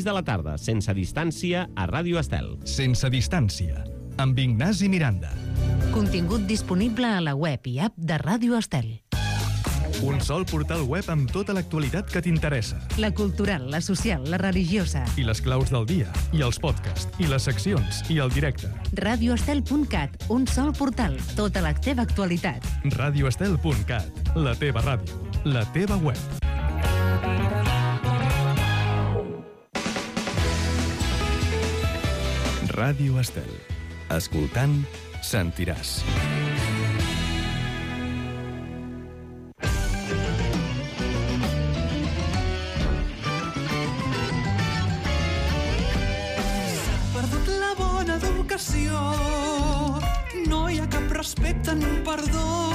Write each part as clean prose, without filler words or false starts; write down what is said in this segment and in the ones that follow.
6 de la tarda, sense distància, a Ràdio Estel. Sense distància, amb Ignasi Miranda. Contingut disponible a la web i app de Ràdio Estel. Un sol portal web amb tota l'actualitat que t'interessa. La cultural, la social, la religiosa. I les claus del dia, i els podcasts, i les seccions, i el directe. radioestel.cat, un sol portal, tota la teva actualitat. radioestel.cat, la teva ràdio, la teva web. Ràdio Estel. Escoltant, sentiràs. No hi ha cap respecte ni perdó,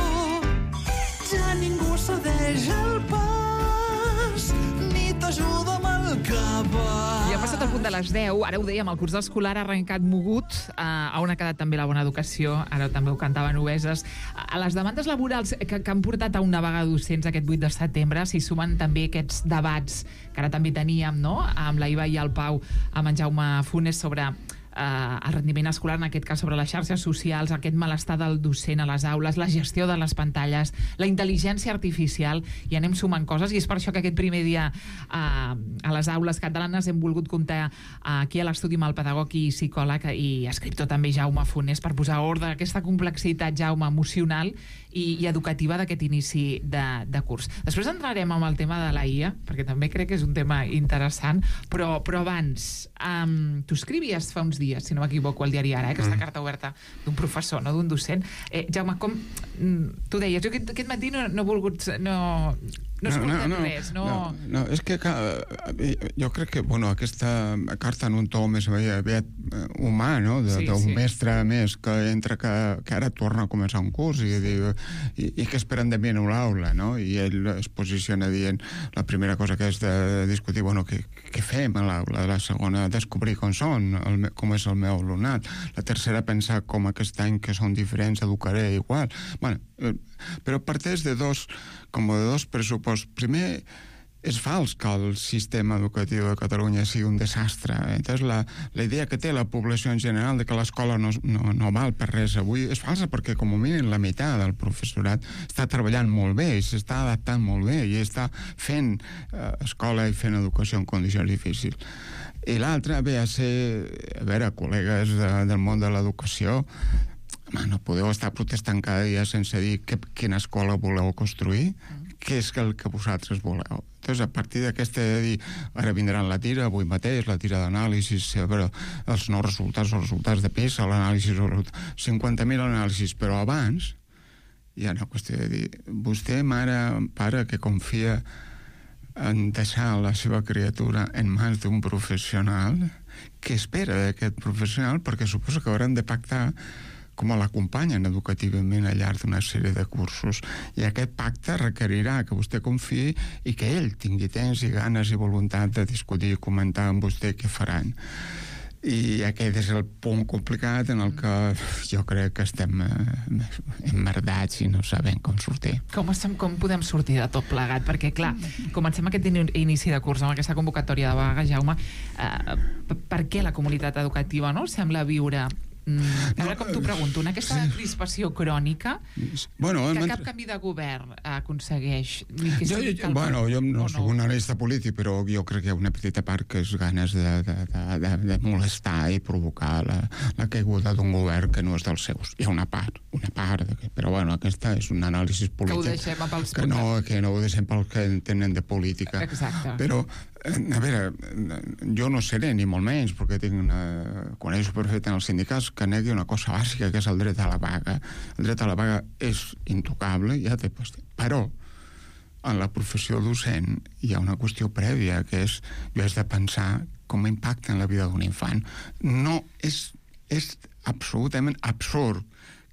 ja ningú cedeix el pas ni t'ajuda amb el que va. Ja ha passat el punt de les 10, ara ho dèiem, el curs escolar ha arrencat mogut, on ha quedat també la bona educació, ara també ho cantaven obeses. A les demandes laborals que han portat a una vaga de docents aquest 8 de setembre s'hi sumen també aquests debats que ara també teníem, no?, amb la Iva i el Pau, amb en Jaume Funes, sobre el rendiment escolar, en aquest cas sobre les xarxes socials, aquest malestar del docent a les aules, la gestió de les pantalles, la intel·ligència artificial, i anem sumant coses, i és per això que aquest primer dia a les aules catalanes hem volgut comptar aquí a l'estudi amb el pedagog i psicòleg i escriptor també Jaume Funes, per posar ordre a aquesta complexitat, Jaume, emocional i educativa d'aquest inici de curs. Després entrarem amb el tema de la IA, perquè també crec que és un tema interessant, però abans, tu escrivies fa uns dies, si no m'equivoco, al diari Ara, aquesta carta oberta d'un professor, no d'un docent. Jaume, com tu deies, jo aquest matí no he volgut... No he escoltat res, no... No, és que jo crec que, aquesta carta en un to més aviat humà, no?, d'un mestre més que entra, que ara torna a començar un curs i que esperen de mi en l'aula, no?, i ell es posiciona dient, la primera cosa que és de discutir, què fem a l'aula, la segona, descobrir com és el meu alumnat, la tercera, pensar com aquest any que són diferents educaré igual. Però parteix de dos pressupostos. Primer, és fals que el sistema educatiu de Catalunya sigui un desastre. Entonces, la idea que té la població en general de que l'escola no val per res avui és falsa, perquè com a mínim la meitat del professorat està treballant molt bé i s'està adaptant molt bé i està fent escola i fent educació en condicions difícils. I l'altre ve a ser, col·legues del món de l'educació, no podeu estar protestant cada dia sense dir quina escola voleu construir, què és el que vosaltres voleu. Entonces, a partir d'aquesta de dir, ara vindran la tira, avui mateix, la tira d'anàlisis, els nous resultats, els resultats de PISA, l'anàlisi, 50.000 anàlisis, però abans hi ha una qüestió de dir, vostè, mare, pare, que confia en deixar la seva criatura en mans d'un professional, què espera d'aquest professional? Perquè suposo que hauran de pactar com l'acompanyen educativament al llarg d'una sèrie de cursos, i aquest pacte requerirà que vostè confiï i que ell tingui temps i ganes i voluntat de discutir i comentar amb vostè què faran. I aquest és el punt complicat en el que jo crec que estem emmerdats i no sabem com sortir. Com podem sortir de tot plegat? Perquè, clar, comencem aquest inici de curs amb aquesta convocatòria de vaga, Jaume. Per què la comunitat educativa sembla viure... Ara com t'ho pregunto, aquesta crispació crònica que cap canvi de govern aconsegueix? Jo no soc un analista polític, però jo crec que hi ha una petita part que és ganes de molestar i provocar la caiguda d'un govern que no és dels seus. Hi ha una part, però aquesta és un anàlisi polític que no ho deixem pels que entenen de política. Exacte. Però jo no seré ni molt menys, perquè coneixo perfectament els sindicats, que negui una cosa bàsica, que és el dret a la vaga. El dret a la vaga és intocable, però en la professió docent hi ha una qüestió prèvia, que és de pensar com impacta en la vida d'un infant. No és absolutament absurd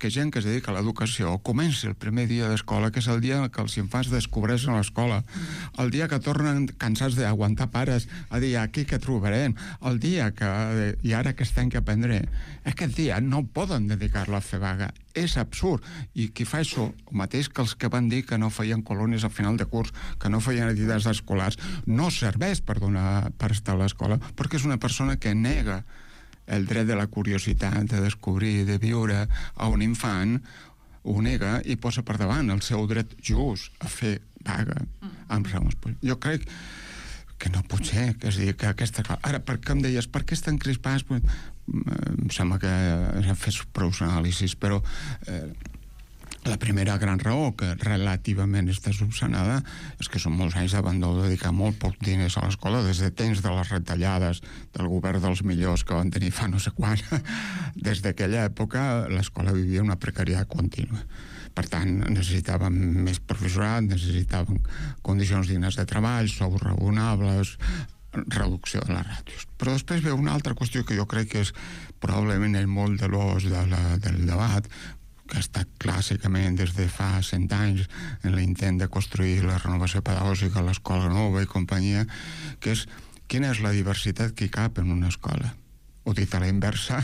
que gent que es dedica a l'educació comenci el primer dia d'escola, que és el dia que els infants descobreixen l'escola, el dia que tornen cansats d'aguantar pares a dir aquí que trobarem, el dia que i ara aquest any que aprendré, aquest dia no poden dedicar-lo a fer vaga. És absurd. I qui fa això, el mateix que els que van dir que no feien colònies al final de curs, que no feien activitats escolars, no serveix per estar a l'escola, perquè és una persona que nega el dret de la curiositat, de descobrir, de viure a un infant, ho nega i posa per davant el seu dret just a fer vaga amb raons. Jo crec que no pot ser, que és dir, que aquesta... Ara, per què em deies, per què estan crispats? Em sembla que s'han fet prou anàlisis, però la primera gran raó que relativament està subsanada és que són molts anys d'abandó, dedicar molt poc diners a l'escola, des de temps de les retallades del govern dels millors que van tenir fa no sé quan. Des d'aquella època l'escola vivia una precarietat contínua. Per tant, necessitàvem més professorat, necessitàvem condicions dignes de treball, sous raonables, reducció de les ràtios. Però després ve una altra qüestió que jo crec que és probablement el moll de l'os del debat, que ha estat clàssicament des de fa 100 anys en l'intent de construir la renovació pedagògica a l'escola nova i companyia, que és quina és la diversitat que hi cap en una escola. O dit a la inversa,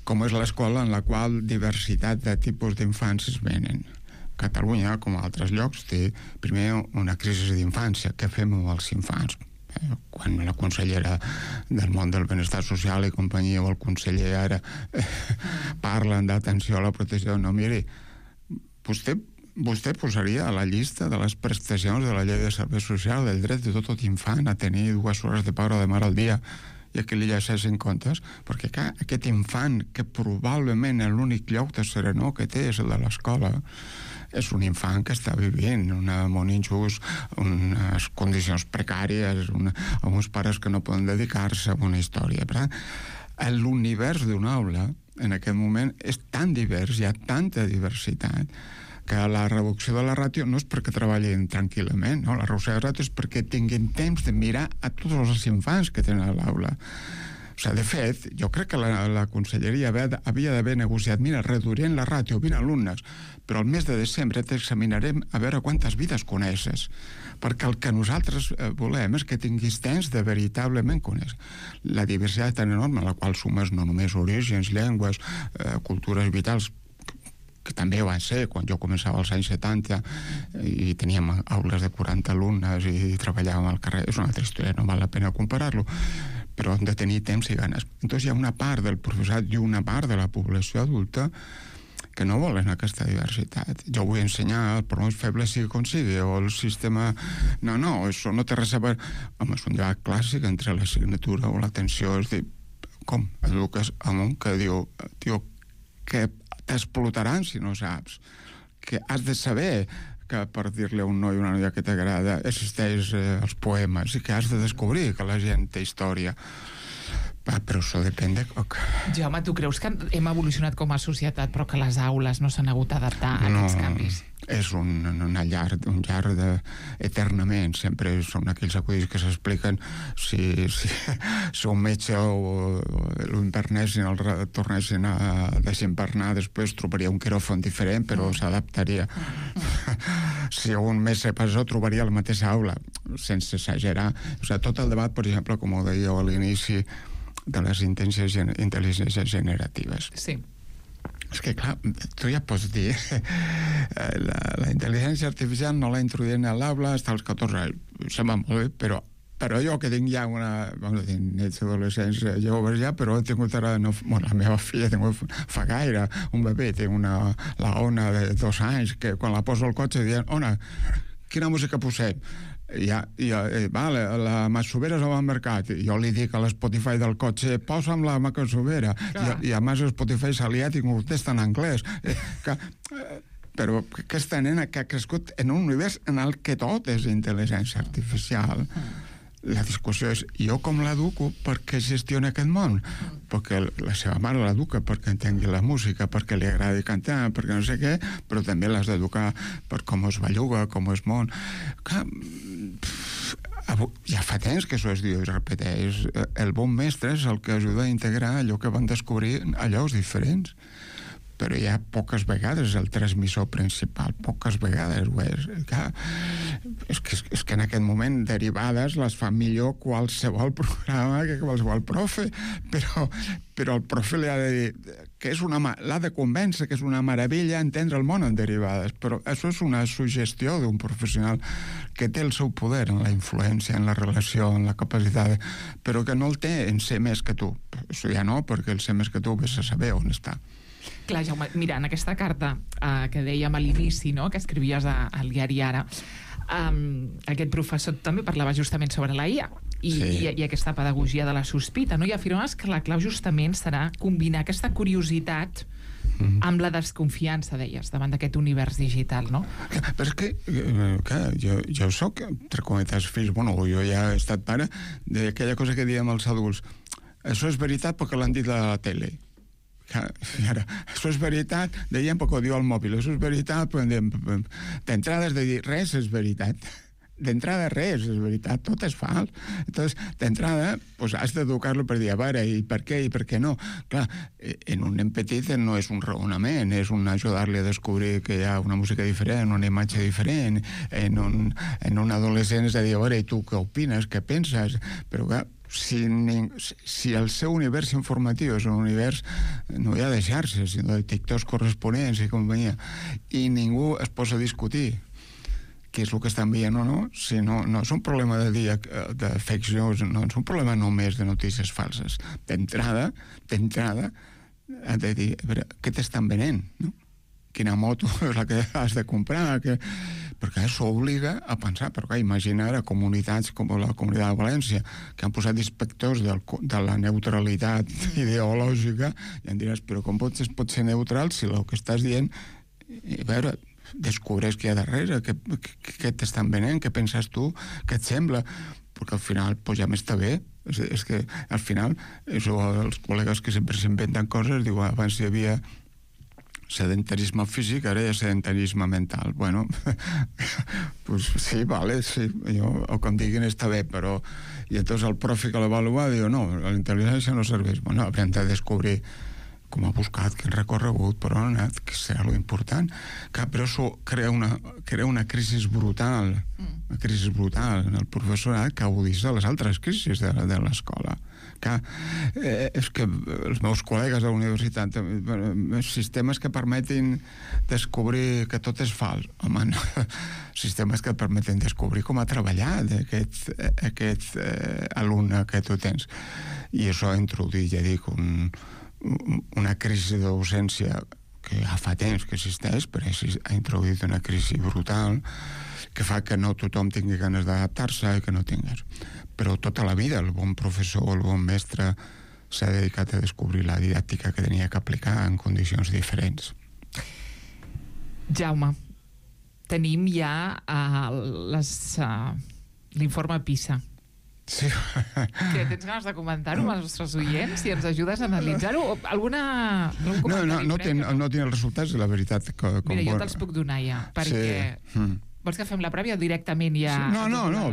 com és l'escola en la qual diversitat de tipus d'infants es venen. Catalunya, com a altres llocs, té primer una crisi d'infància. Què fem amb els infants? Quan la consellera del món del benestar social i companyia o el conseller ara parlen d'atenció a la protecció, no, miri, vostè posaria a la llista de les prestacions de la llei de serveis socials el dret de tot infant a tenir 2 hores de pare o de mare al dia i que li llegeixin comptes, perquè aquest infant que probablement l'únic lloc de serenor que té és el de l'escola, és un infant que està vivint un món injust, unes condicions precàries, amb uns pares que no poden dedicar-se a una història. Per tant, l'univers d'una aula en aquest moment és tan divers, hi ha tanta diversitat, que la reducció de la ràtio no és perquè treballin tranquil·lament, no? La reducció de la ràtio és perquè tinguin temps de mirar a tots els infants que tenen a l'aula. O sigui, de fet, jo crec que la conselleria havia d'haver negociat, mira, reduirem la ràtio 20 alumnes, però al mes de desembre t'examinarem a veure quantes vides coneixes, perquè el que nosaltres volem és que tinguis temps de veritablement conèixer. La diversitat tan enorme, a la qual sumes no només orígens, llengües, cultures vitals, que també va ser quan jo començava als anys 70 i teníem aules de 40 alumnes i treballàvem al carrer, és una altra història, no val la pena comparar-lo, però hem de tenir temps i ganes. Entonces hi ha una part del professorat i una part de la població adulta que no volen aquesta diversitat. Jo vull ensenyar, per més feble sigui com sigui, o el sistema... No, això no té res a veure... Home, és un debat clàssic entre l'assignatura o l'atenció, és dir, com eduques a un que diu, tio, que t'explotaran si no saps, que has de saber que per dir-li a un noi o una noia que t'agrada existeix els poemes i que has de descobrir que la gent té història. Però això depèn de... Jaume, tu creus que hem evolucionat com a societat però que les aules no s'han hagut d'adaptar a aquests canvis? És un llarg eternament. Sempre són aquells acudits que s'expliquen si un metge o l'internessin, el tornessin a desempernar, després trobaria un quiròfon diferent, però s'adaptaria. Si un mes se passó, trobaria la mateixa aula, sense exagerar. O sigui, tot el debat, per exemple, com ho deia a l'inici, de les intel·ligències generatives. Sí. És que, clar, tu ja pots dir la intel·ligència artificial no la introduïen a l'aula fins als 14 anys. Sembla molt bé, però jo que tinc ja nets adolescents joves ja, però he tingut ara... la meva filla fa gaire un bebè, tinc la Ona de 2 anys, que quan la poso al cotxe diuen, Ona, quina música posem? La Masovera es va al mercat, jo li dic a l'Spotify del cotxe, posa'm la Masovera, i a més Spotify s'ha liat i contesta en anglès. Però aquesta nena que ha crescut en un univers en el que tot és intel·ligència artificial, la discussió és, jo com l'educo perquè gestiona aquest món? Perquè la seva mare l'educa perquè entengui la música, perquè li agradi cantar, perquè no sé què, però també l'has d'educar per com es belluga, com es món. Clar, ja fa temps que això es diu i es repeteix. El bon mestre és el que ajuda a integrar allò que van descobrir a llocs diferents. però ja poques vegades el transmissor principal, poques vegades ho és. És que en aquest moment derivades les fa millor qualsevol programa que qualsevol profe, però el profe li ha de dir que l'ha de convèncer que és una meravella entendre el món en derivades, però això és una suggestió d'un professional que té el seu poder en la influència, en la relació, en la capacitat, però que no el té en ser més que tu. Això ja no, perquè el ser més que tu vés a saber on està. Clar, Jaume, mira, en aquesta carta que dèiem a l'inici, no?, que escrivies al diari Ara, aquest professor també parlava justament sobre la IA i aquesta pedagogia de la sospita, no? I afirmaves que la clau justament serà combinar aquesta curiositat amb la desconfiança, deies, davant d'aquest univers digital, no? Però és que, jo soc, entre cometes, fills, jo ja he estat pare d'aquella cosa que diem als adults, això és veritat perquè l'han dit a la tele. I ara, això és veritat, dèiem perquè ho diu al mòbil, això és veritat, d'entrada has de dir, res és veritat. D'entrada res és veritat, tot és fals. Entonces, d'entrada, has d'educar-lo per dir, a veure, i per què i per què no. Clar, en un nen petit no és un raonament, és un ajudar-li a descobrir que hi ha una música diferent, una imatge diferent. En un adolescent és a dir, a veure, i tu què opines, què penses? Però clar, si el seu univers informatiu és un univers no hi ha de xarxes, sinó de TikToks corresponents i companyia, i ningú es posa a discutir què és el que estan veient o no, si no és un problema de fake news, no és un problema només de notícies falses. D'entrada has de dir, a veure, què t'estan venent, no? Quina moto és la que has de comprar, perquè això obliga a pensar, perquè imagina ara comunitats com la Comunitat de València, que han posat inspectors de la neutralitat ideològica, i em diràs, però com pot ser neutral si el que estàs dient, a veure, descobreix què hi ha darrere, què t'estan venent, què penses tu, què et sembla, perquè al final ja m'està bé. És que al final els col·legues que sempre s'inventen coses diuen, abans hi havia sedentarisme físic, ara hi ha sedentarisme mental. Bueno, pues sí, vale, sí, o que em diguin està bé, però i llavors el profe que l'avaluava diu, no, la intel·ligència no serveix. Bueno, haurem de descobrir com ha buscat, quin recorregut, per on ha anat, que serà lo important. Però això crea una crisi brutal, en el professorat que aguditza les altres crisis de l'escola. És que els meus col·legues de la universitat, sistemes que permetin descobrir que tot és fals, home, no. Sistemes que permeten descobrir com ha treballat aquest alumne que tu tens. I això ha introduït, ja dic, una crisi de docència que ja fa temps que existeix, però ha introduït una crisi brutal que fa que no tothom tingui ganes d'adaptar-se i que no tingués. Però tota la vida el bon professor o el bon mestre s'ha dedicat a descobrir la didàctica que tenia que aplicar en condicions diferents. Jaume, tenim ja l'informe PISA. Sí. Que tens ganes de comentar-ho amb els nostres oients? Si ens ajudes a analitzar-ho? No tinc els resultats, la veritat. Mira, jo te'ls puc donar ja, perquè... Vols que fem la prèvia directament ja? No.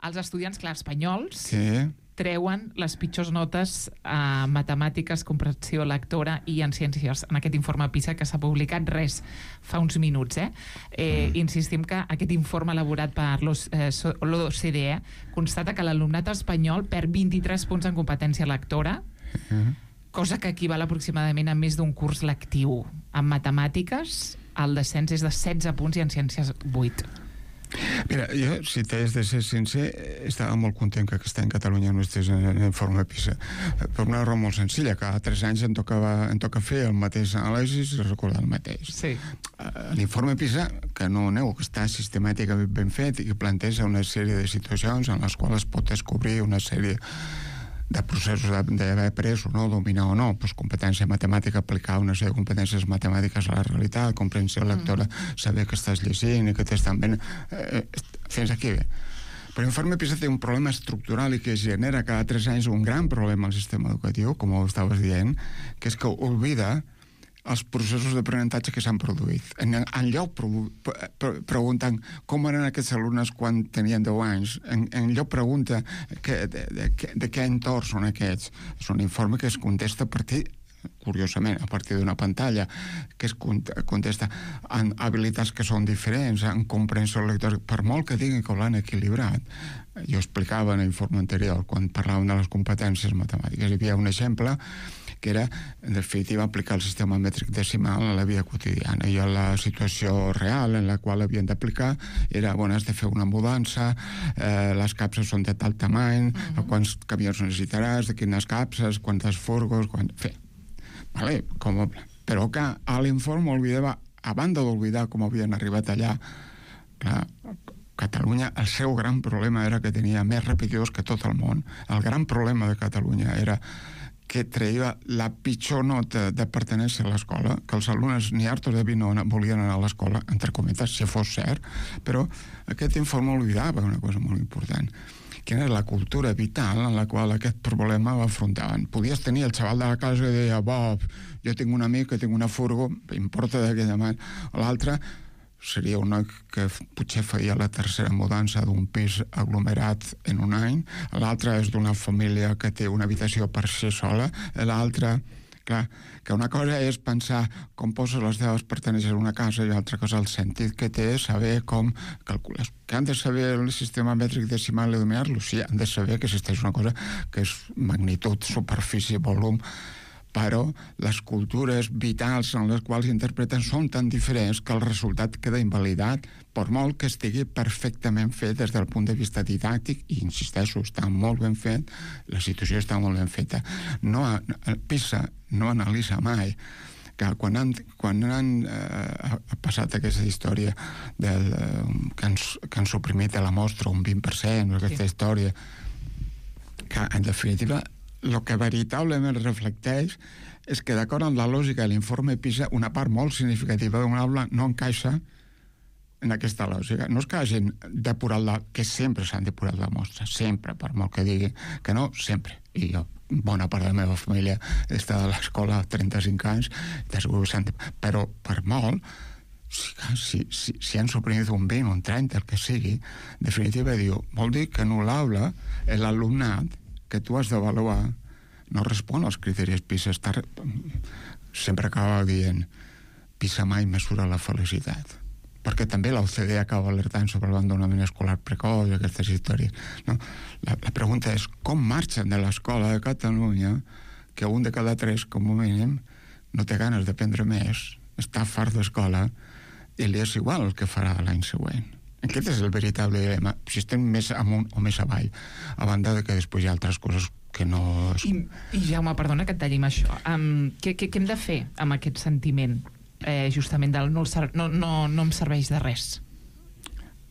Els estudiants, clar, espanyols, sí, treuen les pitjors notes a matemàtiques, comprensió lectora i en ciències en aquest informe PISA que s'ha publicat fa uns minuts. Insistim que aquest informe elaborat per l'OCDE constata que l'alumnat espanyol perd 23 punts en competència lectora, cosa que equival aproximadament a més d'un curs lectiu. En matemàtiques el descens és de 16 punts i en ciències 8. Mira, jo, si t'has de ser sincer, estava molt content que aquest any Catalunya no estigués en informe PISA, per una raó molt senzilla, cada 3 anys em toca fer el mateix anàlisi i recordar el mateix. Sí. L'informe PISA, que no neu, que està sistemàticament ben fet i que planteja una sèrie de situacions en les quals es pot descobrir una sèrie de processos d'haver après o no, dominar o no, competència matemàtica, aplicar una sèrie de competències matemàtiques a la realitat, comprensió lectora, saber que estàs llegint i que t'estan ben... Fins aquí bé. Però l'informe PISA té un problema estructural i que genera cada 3 anys un gran problema al sistema educatiu, com ho estaves dient, que és que oblida els processos d'aprenentatge que s'han produït. En lloc pregunten com eren aquests alumnes quan tenien 10 anys, en lloc pregunta de què entorn són aquests. És un informe que es contesta a partir curiosament, a partir d'una pantalla, que es contesta en habilitats que són diferents, en comprensió lectora, per molt que diguin que l'han equilibrat. Jo explicava en l'informe anterior, quan parlàvem de les competències matemàtiques, hi havia un exemple que era, en definitiva, aplicar el sistema mètric decimal a la vida quotidiana. I a la situació real en la qual havien d'aplicar era, has de fer una mudança, les capses són de tal tamany, quants camions necessitaràs, de quines capses, quantes furgos, Vale, però que a l'informe oblidava, a banda d'oblidar com havien arribat allà, clar, Catalunya, el seu gran problema era que tenia més repetidors que tot el món. El gran problema de Catalunya era que treia la pitjor nota de pertenència a l'escola, que els alumnes ni hartos de vi no volien anar a l'escola, entre cometes, si fos cert, però aquest informe oblidava una cosa molt important, que era la cultura vital en la qual aquest problema l'afrontaven. Podies tenir el xaval de la casa i deia, jo tinc un amic que tinc una furgo, importa d'aquella manera. L'altre seria un noi que potser feia la tercera mudança d'un pis aglomerat en un any, l'altre és d'una família que té una habitació per ser sola, l'altre, clar, que una cosa és pensar com poses les teves pertenències a una casa i l'altra cosa el sentit que té saber com calcules. Que han de saber el sistema mètric decimal i dominar-lo? Sí, han de saber que existeix una cosa que és magnitud, superfície, volum, però les cultures vitals en les quals interpreten són tan diferents que el resultat queda invalidat, per molt que estigui perfectament fet des del punt de vista didàctic, i insisteixo, està molt ben fet, la situació està molt ben feta. PISA no analitza mai que quan han passat aquesta història que han suprimit de la mostra un 20%, aquesta història, que en definitiva el que veritablement reflecteix és que, d'acord amb la lògica de l'informe PISA, una part molt significativa d'un aula no encaixa en aquesta lògica. No és que hagin depurat que sempre s'han depurat la mostra, sempre, per molt que diguin que no, sempre. I jo, bona part de la meva família està a l'escola 35 anys, però per molt, si han suprimit un 20, un 30, el que sigui, en definitiva vol dir que en l'aula l'alumnat que tu has d'avaluar no respon als criteris PISA. Sempre acaba dient PISA mai mesura la felicitat, perquè també l'OCDE acaba alertant sobre l'abandonament escolar precoç i aquestes històries, no? La pregunta és com marxen de l'escola de Catalunya que un de cada 3, com a mínim, no té ganes d'aprendre més, està fart d'escola i li és igual el que farà l'any següent. Aquest és el veritable dilema, si estem més amunt o més avall, a banda de que després hi ha altres coses que no... I Jaume, perdona que et talli amb això. Què hem de fer amb aquest sentiment, justament del no em serveix de res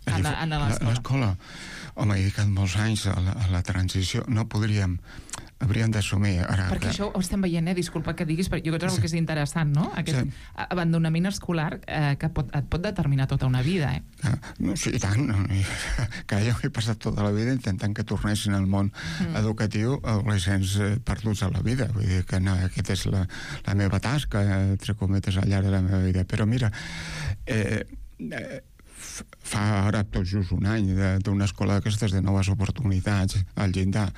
a l'escola? Home, he dedicat molts anys a la transició. No podríem... Hauríem d'assumir... Perquè això ho estem veient, disculpa que diguis, però jo crec que és interessant, no? Aquest abandonament escolar que et pot determinar tota una vida, Sí, i tant. Que jo he passat tota la vida intentant que tornessin al món educatiu adolescents perduts a la vida. Vull dir que aquesta és la meva tasca, entre cometes, al llarg de la meva vida. Però mira, fa ara tot just un any d'una escola d'aquestes de noves oportunitats al llindar,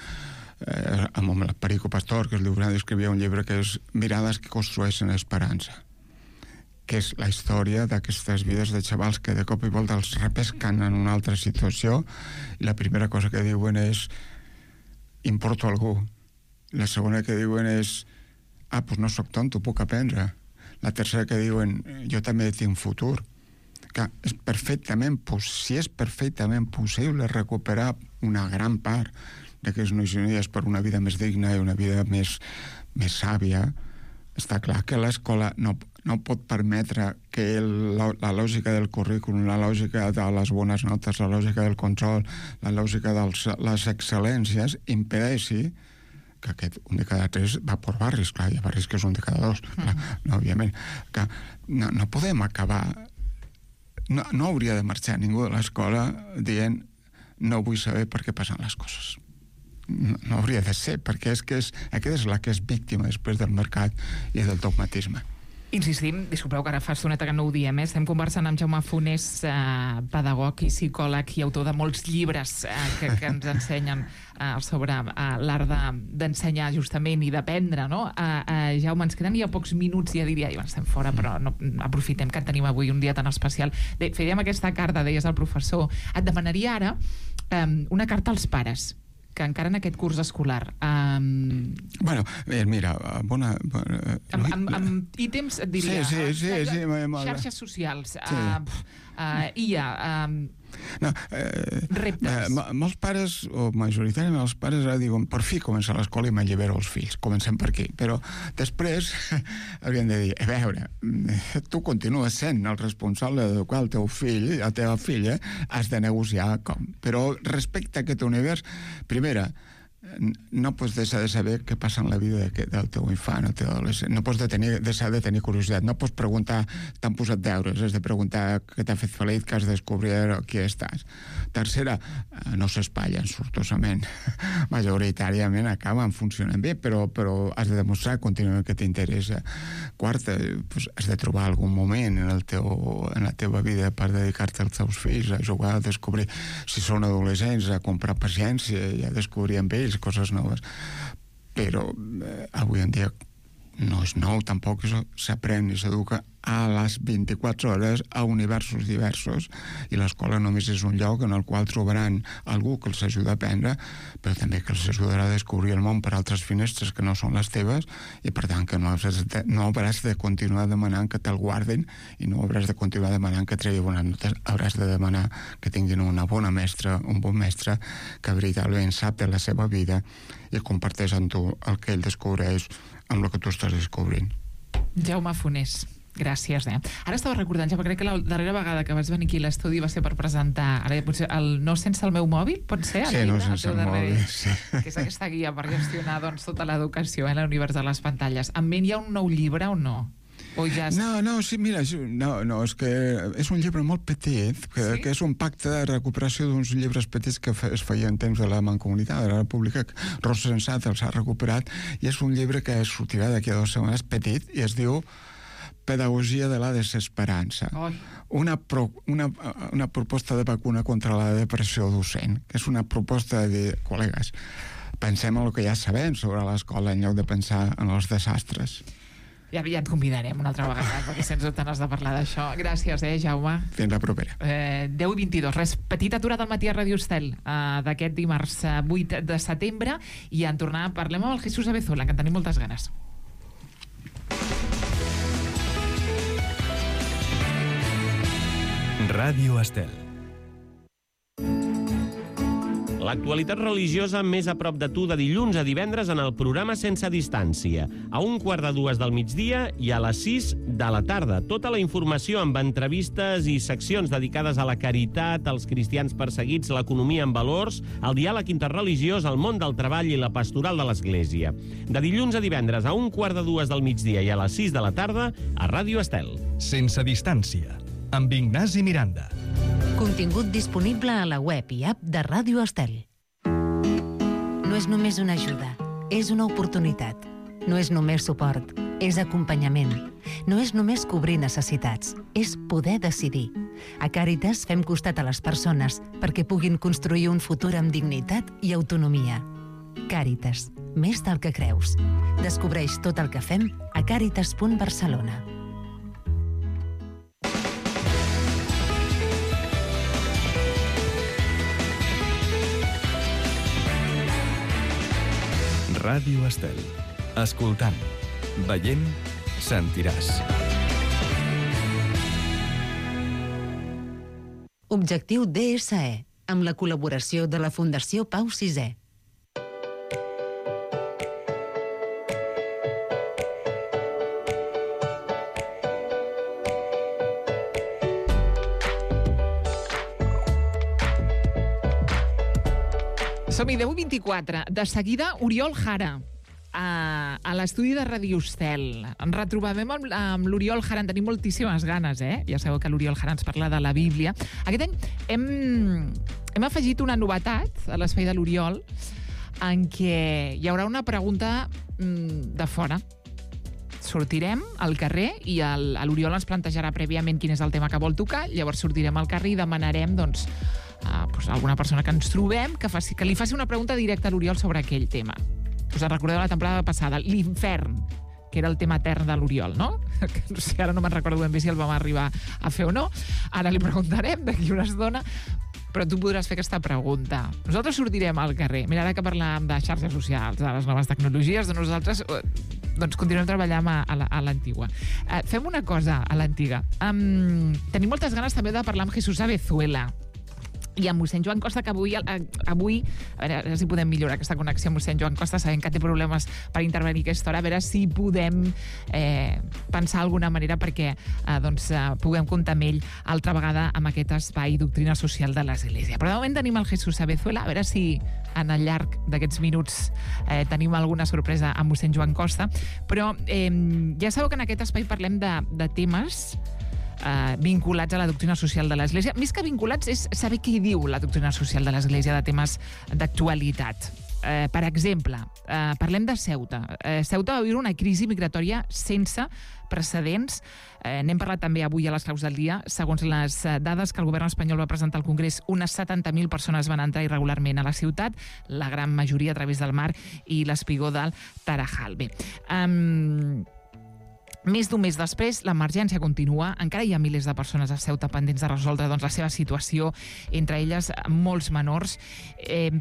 amb el Perico Pastor, que és lliurant, escrivia un llibre que és Mirades que construeixen esperança, que és la història d'aquestes vides de xavals que de cop i volta els repesquen en una altra situació i la primera cosa que diuen és importo a algú. La segona que diuen és doncs no soc tonto, puc aprendre. La tercera que diuen jo també tinc futur. Que és perfectament possible recuperar una gran part d'aquestes noies per una vida més digna i una vida més sàvia. Està clar que l'escola no pot permetre que la lògica del currículum, la lògica de les bones notes, la lògica del control, la lògica de les excel·lències impedeixi que aquest un de cada 3 va per barris. Clar, hi ha barris que és un de cada 2, no, òbviament. Que no podem acabar... No hauria de marxar ningú de l'escola dient no vull saber per què passen les coses. No hauria de ser, perquè aquesta és la que és víctima després del mercat i del dogmatisme. Insistim, disculpeu que ara fa estoneta que no ho diem, estem conversant amb Jaume Fonés, pedagog i psicòleg i autor de molts llibres que ens ensenyen sobre l'art d'ensenyar justament i d'aprendre, no? Jaume, ens queden ja pocs minuts, ja diria, i estem fora, però no, aprofitem que tenim avui un dia tan especial. Fèiem aquesta carta, deies al professor. Et demanaria ara una carta als pares, que encara en aquest curs escolar... Bueno, mira... Amb ítems, et diria... Sí. Xarxes socials, IA... reptes. Molts pares, o majoritàriament els pares, diuen, per fi comença l'escola i m'allibero els fills. Comencem per aquí. Però després haurien de dir, a veure, tu continues sent el responsable d'educar el teu fill, la teva filla, has de negociar com. Però respecte a aquest univers, primera, no pots deixar de saber què passa en la vida del teu infant o teu adolescent. No pots deixar de tenir curiositat. No pots preguntar, t'han posat deures, has de preguntar què t'ha fet feliç, que has de descobrir qui estàs. Tercera, no s'espatllen sortosament. Majoritàriament acaben funcionant bé, però has de demostrar contínuament que t'interessa. Quarta, has de trobar algun moment en la teva vida per dedicar-te als teus fills, a jugar, a descobrir, si són adolescents, a comprar paciència i a descobrir amb ells coses noves. Però avui en dia no és nou, tampoc s'aprèn i s'educa a les 24 hores a universos diversos, i l'escola només és un lloc en el qual trobaran algú que els ajuda a aprendre, però també que els ajudarà a descobrir el món per altres finestres que no són les teves, i per tant que no hauràs de continuar demanant que te'l guardin i no hauràs de continuar demanant que tregui bones notes. Hauràs de demanar que tinguin una bona mestra, un bon mestre que veritablement sap de la seva vida i comparteix amb tu el que ell descobreix amb el que tu estàs descobrint. Jaume Fonés, gràcies. Ara estava recordant, ja, crec que la darrera vegada que vas venir aquí a l'estudi va ser per presentar, ara potser el No sense el meu mòbil, pot ser? Sí, No sense el mòbil, sí. Que és aquesta guia per gestionar tota l'educació en l'univers de les pantalles. En ment hi ha un nou llibre o no? Sí, mira, és que és un llibre molt petit, que és un pacte de recuperació d'uns llibres petits que es feia en temps de la Mancomunitat de la República, que Rosa Sensat els ha recuperat, i és un llibre que sortirà d'aquí a 2 setmanes, petit, i es diu Pedagogia de la desesperança. Una proposta de vacuna contra la depressió docent, que és una proposta de dir, col·legues, pensem en el que ja sabem sobre l'escola en lloc de pensar en els desastres. Ja et convidarem una altra vegada, perquè sens dubte n'has de parlar d'això. Gràcies, Jaume. Fins la propera. 10:22. Res, petita aturada al matí a Radio Estel d'aquest dimarts 8 de setembre, i en tornar parlem amb el Jesús Abezola, que en tenim moltes ganes. Ràdio Estel. L'actualitat religiosa més a prop de tu de dilluns a divendres en el programa Sense Distància, a 1:15 del migdia i a les 6 de la tarda. Tota la informació amb entrevistes i seccions dedicades a la caritat, als cristians perseguits, l'economia en valors, el diàleg interreligiós, el món del treball i la pastoral de l'Església. De dilluns a divendres a 1:15 del migdia i a les 6 de la tarda a Ràdio Estel. Sense Distància, amb Ignasi Miranda. Contingut disponible a la web i app de Ràdio Estel. No és només una ajuda, és una oportunitat. No és només suport, és acompanyament. No és només cobrir necessitats, és poder decidir. A Càritas fem costat a les persones perquè puguin construir un futur amb dignitat i autonomia. Càritas, més del que creus. Descobreix tot el que fem a càritas.barcelona. Ràdio Estel. Escoltant, veient, sentiràs. Objectiu DSE, amb la col·laboració de la Fundació Pau VI. Som-hi, 10:24. De seguida, Oriol Jara, a l'estudi de Radio Estel. Ens retrobem amb l'Oriol Jara, en tenim moltíssimes ganes, Ja sabeu que l'Oriol Jara ens parla de la Bíblia. Aquest any hem afegit una novetat a l'espai de l'Oriol, en què hi haurà una pregunta de fora sortirem al carrer i l'Oriol ens plantejarà prèviament quin és el tema que vol tocar, llavors sortirem al carrer i demanarem, doncs, alguna persona que ens trobem que li faci una pregunta directa a l'Oriol sobre aquell tema. Us en recordeu la temporada passada, l'infern, que era el tema etern de l'Oriol, no? Que no sé, ara no me'n recordo ben bé si el vam arribar a fer o no. Ara li preguntarem d'aquí una estona, però tu podràs fer aquesta pregunta. Nosaltres sortirem al carrer. Mira, ara que parlàvem de xarxes socials, de les noves tecnologies, nosaltres doncs continuem treballant a l'antigua. Fem una cosa a l'antiga. Tenim moltes ganes també de parlar amb Jesús Abezuela i amb mossèn Joan Costa, que avui, a veure si podem millorar aquesta connexió amb mossèn Joan Costa, sabent que té problemes per intervenir aquesta hora, a veure si podem pensar alguna manera perquè puguem comptar amb ell altra vegada amb aquest espai Doctrina Social de l'Església. Però de moment tenim el Jesús Abezuela, a veure si en el llarg d'aquests minuts tenim alguna sorpresa amb mossèn Joan Costa, però ja sabeu que en aquest espai parlem de temes vinculats a la doctrina social de l'Església. Més que vinculats és saber què diu la doctrina social de l'Església de temes d'actualitat. Per exemple, parlem de Ceuta. Ceuta va viure una crisi migratòria sense precedents. N'hem parlat també avui a les claus del dia. Segons les dades que el govern espanyol va presentar al Congrés, unes 70.000 persones van entrar irregularment a la ciutat, la gran majoria a través del mar i l'espigó del Tarajal. Bé, més d'un mes després, l'emergència continua. Encara hi ha milers de persones a Ceuta pendents de resoldre la seva situació, entre elles molts menors.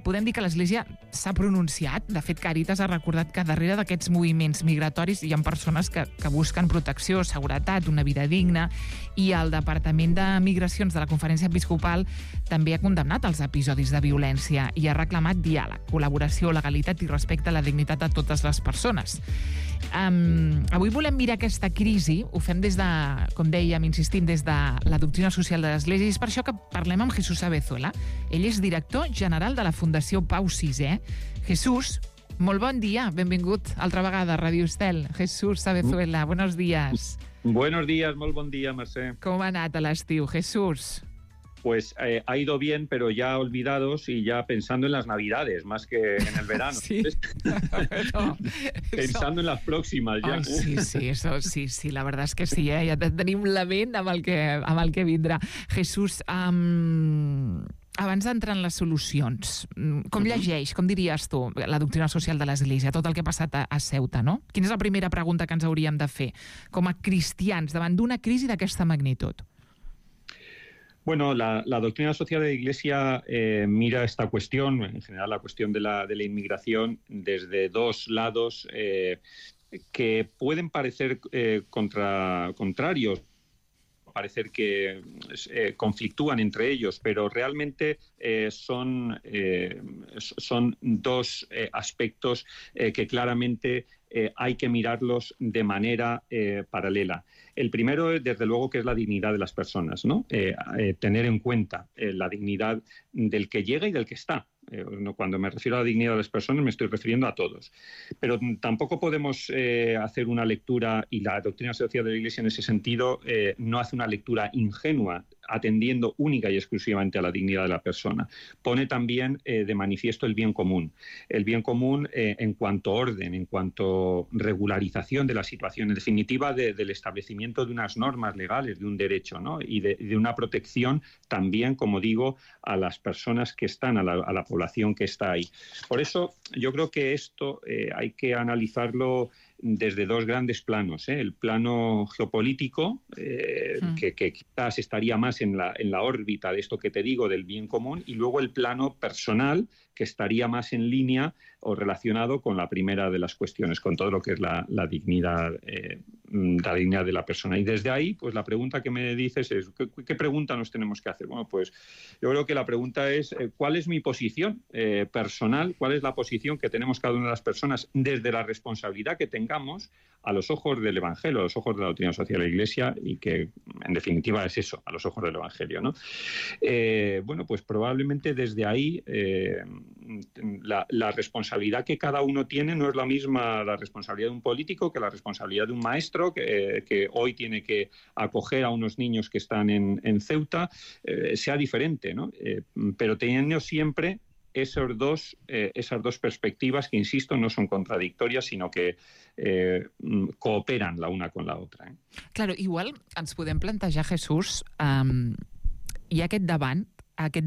Podem dir que l'Església s'ha pronunciat. De fet, Càritas ha recordat que darrere d'aquests moviments migratoris hi ha persones que busquen protecció, seguretat, una vida digna, i el Departament de Migracions de la Conferència Episcopal també ha condemnat els episodis de violència i ha reclamat diàleg, col·laboració, legalitat i respecte a la dignitat de totes les persones. Avui volem mirar aquesta crisi, ho fem des de, com dèiem, insistim, des de la doctrina social de l'Església, i és per això que parlem amb Jesús Abezuela. Ell és director general de la Fundació Pau VI. Jesús, molt bon dia, benvingut altra vegada a Radio Estel. Jesús Abezuela, buenos días. Buenos días, molt bon dia, Mercè. Com ha anat a l'estiu, Jesús? Pues ha ido bien, pero ya olvidados y ya pensando en las Navidades, más que en el verano. Sí. No, pensando en las próximas ya. Ai, sí, la verdad és que sí, ja tenim la ment amb el que vindrà. Jesús, abans d'entrar en les solucions, com llegeix, com diries tu, la doctrina social de l'Església, tot el que ha passat a Ceuta, no? Quina és la primera pregunta que ens hauríem de fer com a cristians davant d'una crisi d'aquesta magnitud? Bueno, la doctrina social de la Iglesia mira esta cuestión, en general la cuestión de la inmigración, desde dos lados que pueden parecer contrarios, parecer que conflictúan entre ellos, pero realmente son dos aspectos que claramente hay que mirarlos de manera paralela. El primero, desde luego, que es la dignidad de las personas, ¿no? Tener en cuenta la dignidad del que llega y del que está. Cuando me refiero a la dignidad de las personas me estoy refiriendo a todos. Pero tampoco podemos hacer una lectura, y la doctrina social de la Iglesia en ese sentido no hace una lectura ingenua, atendiendo única y exclusivamente a la dignidad de la persona. Pone también de manifiesto el bien común. El bien común en cuanto orden, en cuanto regularización de la situación, en definitiva del establecimiento de unas normas legales, de un derecho, ¿no? Y de una protección también, como digo, a las personas que están, a la población que está ahí. Por eso yo creo que esto hay que analizarlo desde dos grandes planos, el plano geopolítico, que quizás estaría más en la órbita de esto que te digo, del bien común, y luego el plano personal, que estaría más en línea o relacionado con la primera de las cuestiones, con todo lo que es la dignidad de la persona. Y desde ahí, pues la pregunta que me dices es, ¿qué pregunta nos tenemos que hacer? Bueno, pues yo creo que la pregunta es, ¿cuál es mi posición personal? ¿Cuál es la posición que tenemos cada una de las personas desde la responsabilidad que tengamos a los ojos del Evangelio, a los ojos de la doctrina social de la Iglesia, y que en definitiva es eso, a los ojos del Evangelio, ¿no? Bueno, pues probablemente desde ahí la responsabilidad que cada uno tiene no es la misma la responsabilidad de un político que la responsabilidad de un maestro que hoy tiene que acoger a unos niños que están en Ceuta, sea diferente, ¿no? Pero teniendo siempre esas dos perspectivas que, insisto, no son contradictorias, sino que cooperan la una con la otra. Claro, igual ens podem plantejar, Jesús, hi ha aquest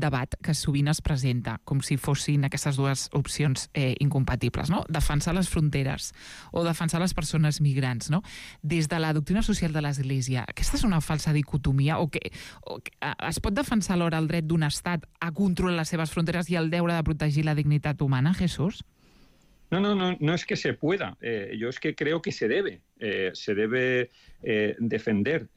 debat que sovint es presenta com si fossin aquestes dues opcions incompatibles, no? Defensar les fronteres o defensar les persones migrants, no? Des de la doctrina social de l'Església, aquesta és una falsa dicotomia o que es pot defensar alhora el dret d'un estat a controlar les seves fronteres i el deure de protegir la dignitat humana, Jesús? No es que se pueda, yo es que creo que se debe defender,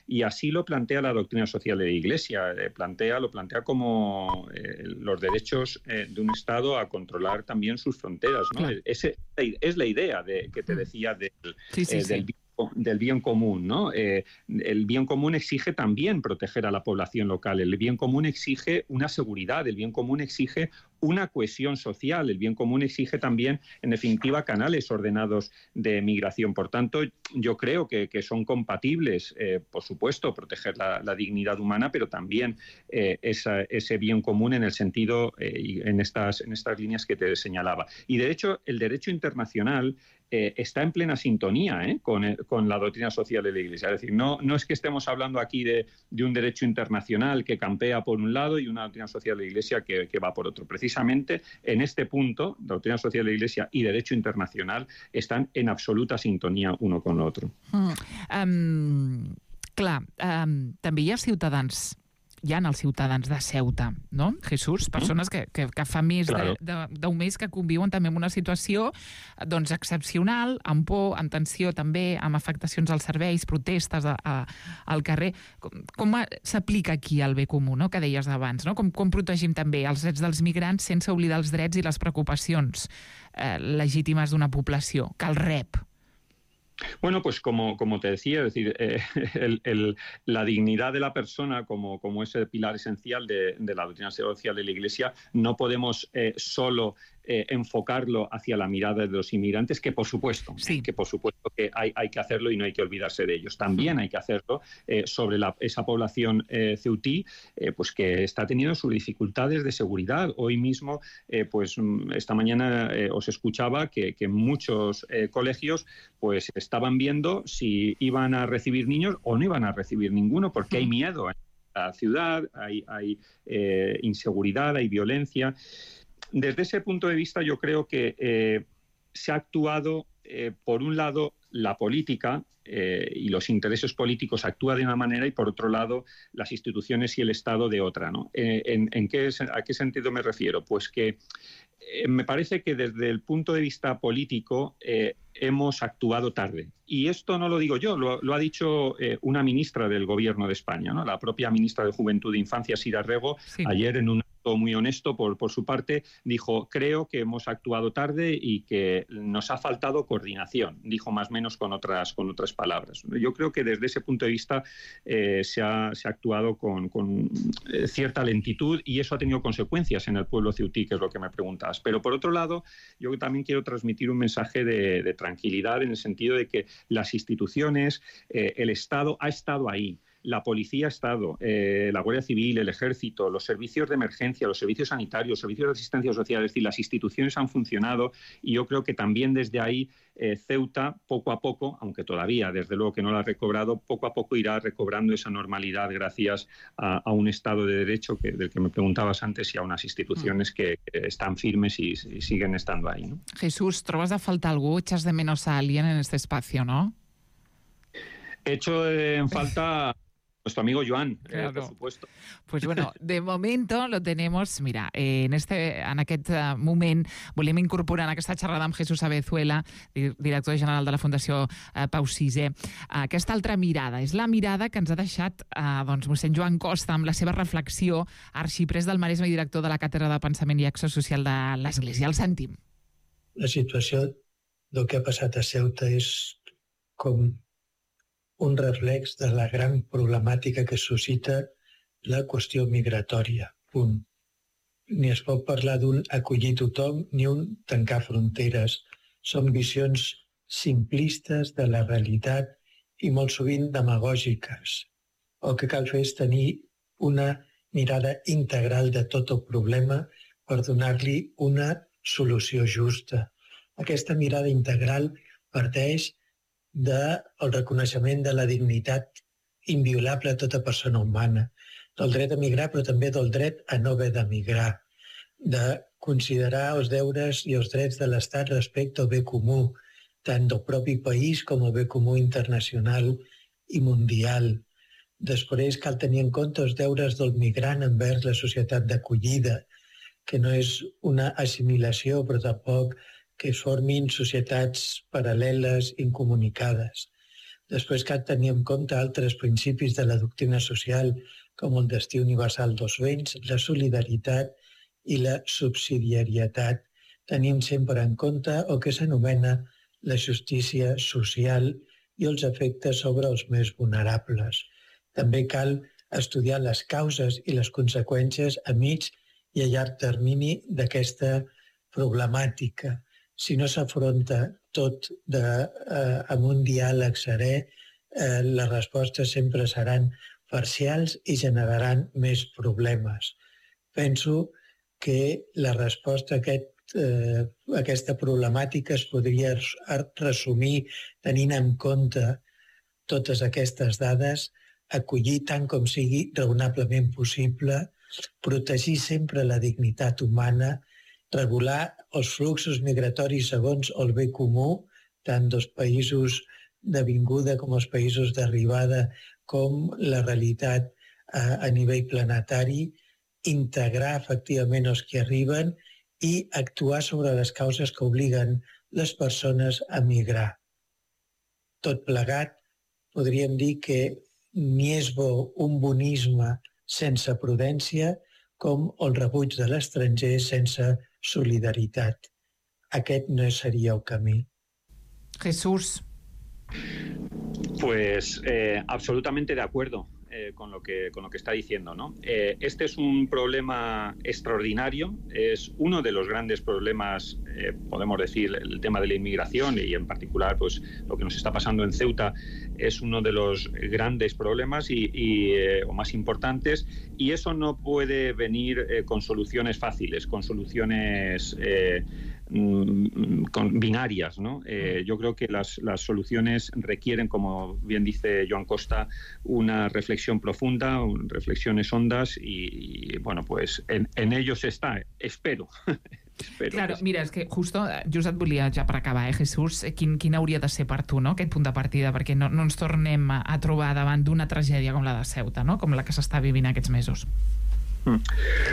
y así lo plantea la doctrina social de la Iglesia, lo plantea como los derechos de un Estado a controlar también sus fronteras, ¿no? Claro. Es la idea que te decía del bien común, ¿no? El bien común exige también proteger a la población local, el bien común exige una seguridad, el bien común exige una cohesión social, el bien común exige también, en definitiva, canales ordenados de migración. Por tanto, yo creo que son compatibles, por supuesto, proteger la dignidad humana, pero también ese bien común en el sentido, en estas líneas que te señalaba. Y, de hecho, el derecho internacional está en plena sintonía con la doctrina social de la Iglesia. Es decir, no es que estemos hablando aquí de un derecho internacional que campea por un lado y una doctrina social de la Iglesia que va por otro. Precisamente en este punto, doctrina social de la Iglesia y derecho internacional están en absoluta sintonia uno con l'altre. També hi ha ciutadans, hi ha els ciutadans de Ceuta, no, Jesús? Persones que fa més d'un mes que conviuen també amb una situació doncs excepcional, amb por, amb tensió també, amb afectacions als serveis, protestes al carrer. Com s'aplica aquí el bé comú, no?, que deies abans, no? Com protegim també els drets dels migrants sense oblidar els drets i les preocupacions legítimes d'una població que el rep? Bueno, pues como te decía, es decir, la dignidad de la persona como ese pilar esencial de la doctrina social de la Iglesia, no podemos solo enfocarlo hacia la mirada de los inmigrantes, que por supuesto que hay que hacerlo y no hay que olvidarse de ellos. También hay que hacerlo sobre esa población ceutí, pues que está teniendo sus dificultades de seguridad. Hoy mismo, pues esta mañana os escuchaba que muchos colegios pues estaban viendo si iban a recibir niños o no iban a recibir ninguno, porque hay miedo en la ciudad, hay inseguridad, hay violencia. Desde ese punto de vista, yo creo que se ha actuado, por un lado, la política y los intereses políticos actúan de una manera y, por otro lado, las instituciones y el Estado de otra, ¿no? ¿A qué sentido me refiero? Pues que me parece que desde el punto de vista político hemos actuado tarde. Y esto no lo digo yo, lo ha dicho una ministra del Gobierno de España, ¿no? La propia ministra de Juventud e Infancia, Sira Rego, ayer en un acto muy honesto por su parte, dijo: creo que hemos actuado tarde y que nos ha faltado coordinación. Dijo más o menos con otras palabras. Yo creo que desde ese punto de vista se ha actuado con cierta lentitud, y eso ha tenido consecuencias en el pueblo ceutí, que es lo que me preguntabas. Pero por otro lado, yo también quiero transmitir un mensaje de tranquilidad, en el sentido de que las instituciones, el Estado ha estado ahí. La policía ha estado, la Guardia Civil, el Ejército, los servicios de emergencia, los servicios sanitarios, los servicios de asistencia social, es decir, las instituciones han funcionado, y yo creo que también desde ahí Ceuta, poco a poco, aunque todavía desde luego que no lo ha recobrado, poco a poco irá recobrando esa normalidad gracias a un Estado de Derecho del que me preguntabas antes, y a unas instituciones que están firmes y siguen estando ahí, ¿no? Jesús, ¿trobas a falta algo? ¿Echas de menos a alguien en este espacio, no? Echo en falta nuestro amigo Joan, claro. Por supuesto. Pues bueno, de momento lo tenemos. Mira, en aquest moment volem incorporar en aquesta xerrada amb Jesús Abezuela, director general de la Fundació Pau VI, aquesta altra mirada. És la mirada que ens ha deixat mossèn Joan Costa amb la seva reflexió, arxiprès del Maresme i director de la Càtedra de Pensament i Acció Social de l'Església. El sentim. La situació del que ha passat a Ceuta és com un reflex de la gran problemàtica que suscita la qüestió migratòria. Punt. Ni es pot parlar d'un acollir tothom ni un tancar fronteres. Són visions simplistes de la realitat i molt sovint demagògiques. El que cal fer és tenir una mirada integral de tot el problema per donar-li una solució justa. Aquesta mirada integral parteix del reconeixement de la dignitat inviolable a tota persona humana, del dret a migrar, però també del dret a no haver de migrar, de considerar els deures i els drets de l'Estat respecte al bé comú, tant del propi país com al bé comú internacional i mundial. Després cal tenir en compte els deures del migrant envers la societat d'acollida, que no és una assimilació, però tampoc que es formin societats paral·leles incomunicades. Després cal tenir en compte altres principis de la doctrina social, com el destí universal dels béns, la solidaritat i la subsidiarietat, tenint sempre en compte el que s'anomena la justícia social i els efectes sobre els més vulnerables. També cal estudiar les causes i les conseqüències a mig i a llarg termini d'aquesta problemàtica. Si no s'afronta tot amb un diàleg serè, les respostes sempre seran parcials i generaran més problemes. Penso que la resposta a aquesta problemàtica es podria resumir tenint en compte totes aquestes dades, acollir tant com sigui raonablement possible, protegir sempre la dignitat humana, regular els fluxos migratoris segons el bé comú, tant dels països de vinguda com els països d'arribada, com la realitat a nivell planetari, integrar efectivament els que arriben i actuar sobre les causes que obliguen les persones a migrar. Tot plegat, podríem dir que ni és bo un bonisme sense prudència com el rebuig de l'estranger sense solidaritat. Aquest no seria el camí. Jesús. Pues absolutamente de acuerdo con lo que está diciendo, ¿no? Este es un problema extraordinario, es uno de los grandes problemas, podemos decir, el tema de la inmigración y en particular pues lo que nos está pasando en Ceuta es uno de los grandes problemas o más importantes, y eso no puede venir con soluciones fáciles, con soluciones binarias, ¿no? Yo creo que las soluciones requieren, como bien dice Joan Costa, una reflexión profunda, reflexiones hondas y bueno, pues en ello se está, espero. Claro, mira, és que justo just et volia ja per acabar, Jesús, quin hauria de ser per tu, no?, aquest punt de partida, perquè no ens tornem a trobar davant d'una tragèdia com la de Ceuta, no?, com la que s'està vivint aquests mesos.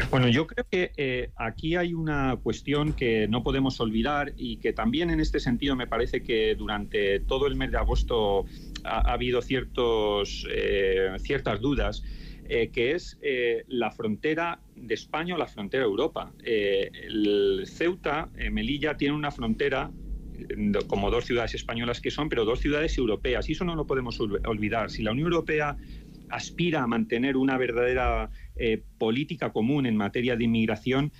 Bueno, yo creo que aquí hay una cuestión que no podemos olvidar y que también en este sentido me parece que durante todo el mes de agosto ha habido ciertas dudas, que es la frontera de España o la frontera de Europa. El Ceuta, Melilla, tiene una frontera como dos ciudades españolas que son, pero dos ciudades europeas, y eso no lo podemos olvidar. Si la Unión Europea aspira a mantener una verdadera política común en materia de inmigración,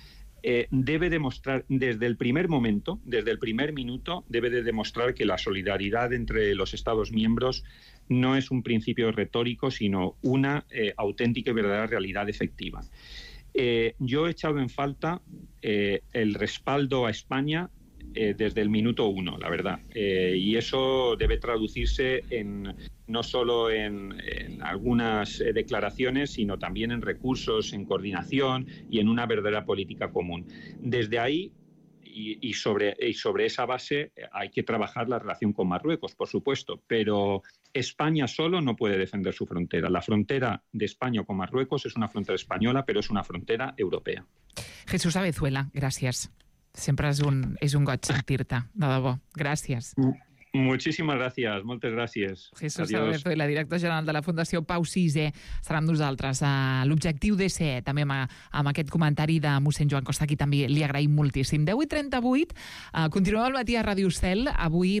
debe demostrar desde el primer momento, desde el primer minuto, debe de demostrar que la solidaridad entre los Estados miembros no es un principio retórico, sino una auténtica y verdadera realidad efectiva. Yo he echado en falta el respaldo a España desde el minuto uno, la verdad. Y eso debe traducirse no solo en algunas declaraciones, sino también en recursos, en coordinación y en una verdadera política común. Desde ahí y sobre esa base hay que trabajar la relación con Marruecos, por supuesto, pero España solo no puede defender su frontera. La frontera de España con Marruecos es una frontera española, pero es una frontera europea. Jesús Abezuela, gràcies. Sempre és un goig sentir-te, de debò. Gràcies. Muchísimas gracias, moltes gràcies. Jesús Abezuela, director general de la Fundació Pau VI, estarà amb nosaltres. L'objectiu d'ESE, també amb aquest comentari de mossèn Joan Costa, aquí també li agraïm moltíssim. 10:38, continuem al matí a Ràdio Estel. Avui,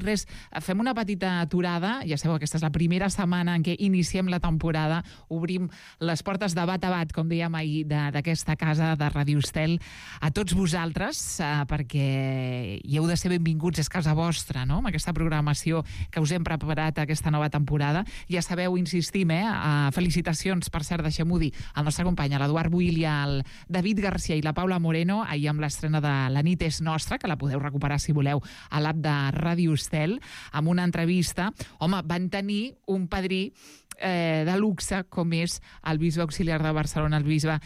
fem una petita aturada. Ja sabeu, aquesta és la primera setmana en què iniciem la temporada. Obrim les portes de bat a bat, com dèiem ahir, d'aquesta casa de Ràdio Estel a tots vosaltres, perquè hi heu de ser benvinguts, és casa vostra, no?, amb aquesta programació programació que us hem preparat aquesta nova temporada. Ja sabeu, insistim, felicitacions, per cert, deixem-ho dir, al nostre company, l'Eduard Buil i al David Garcia i la Paula Moreno, ahir amb l'estrena de La nit és nostra, que la podeu recuperar, si voleu, a l'app de Ràdio Estel, amb una entrevista. Home, van tenir un padrí de luxe, com és el bisbe auxiliar de Barcelona, el bisbe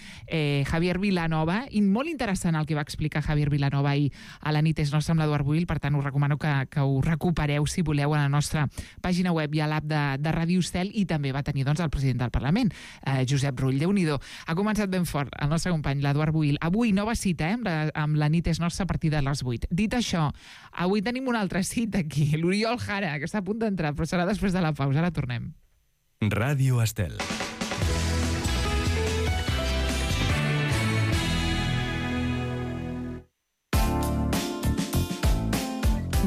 Javier Vilanova, i molt interessant el que va explicar Javier Vilanova ahir a La nit és nostra amb l'Eduard Buil. Per tant, us recomano que ho recupereu, si voleu, a la nostra pàgina web i a l'app de Ràdio Estel. I també va tenir, doncs, el president del Parlament, Josep Rull. Déu-n'hi-do. Ha començat ben fort el nostre company, l'Eduard Buil. Avui, nova cita, amb La nit és nostra a partir de les 8. Dit això, avui tenim una altra cita aquí, l'Oriol Jara, que està a punt d'entrar, però serà després de la pausa. Ara tornem. Ràdio Estel.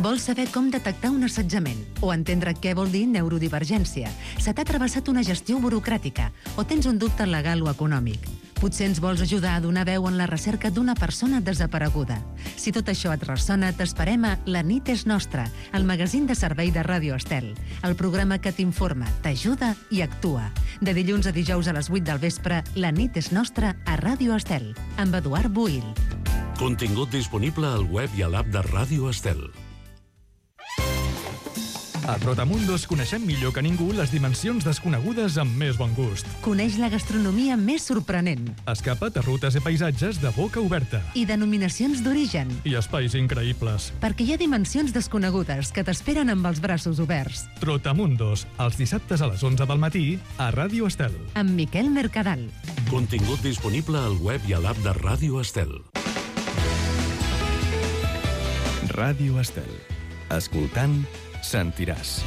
Vols saber com detectar un assetjament o entendre què vol dir neurodivergència? Se t'ha travessat una gestió burocràtica o tens un dubte legal o econòmic? Potser ens vols ajudar a donar veu en la recerca d'una persona desapareguda. Si tot això et ressona, t'esperem a La nit és nostra, el magazín de servei de Ràdio Estel, el programa que t'informa, t'ajuda i actua. De dilluns a dijous a les 8 del vespre, La nit és nostra a Ràdio Estel, amb Eduard Buil. Contingut disponible al web i a l'app de Ràdio Estel. A Trotamundos coneixem millor que ningú les dimensions desconegudes amb més bon gust. Coneix la gastronomia més sorprenent. Escapa't a rutes i paisatges de boca oberta. I denominacions d'origen. I espais increïbles. Perquè hi ha dimensions desconegudes que t'esperen amb els braços oberts. Trotamundos, els dissabtes a les 11 del matí a Ràdio Estel. Amb Miquel Mercadal. Contingut disponible al web i a l'app de Ràdio Estel. Ràdio Estel. Escoltant, sentiràs.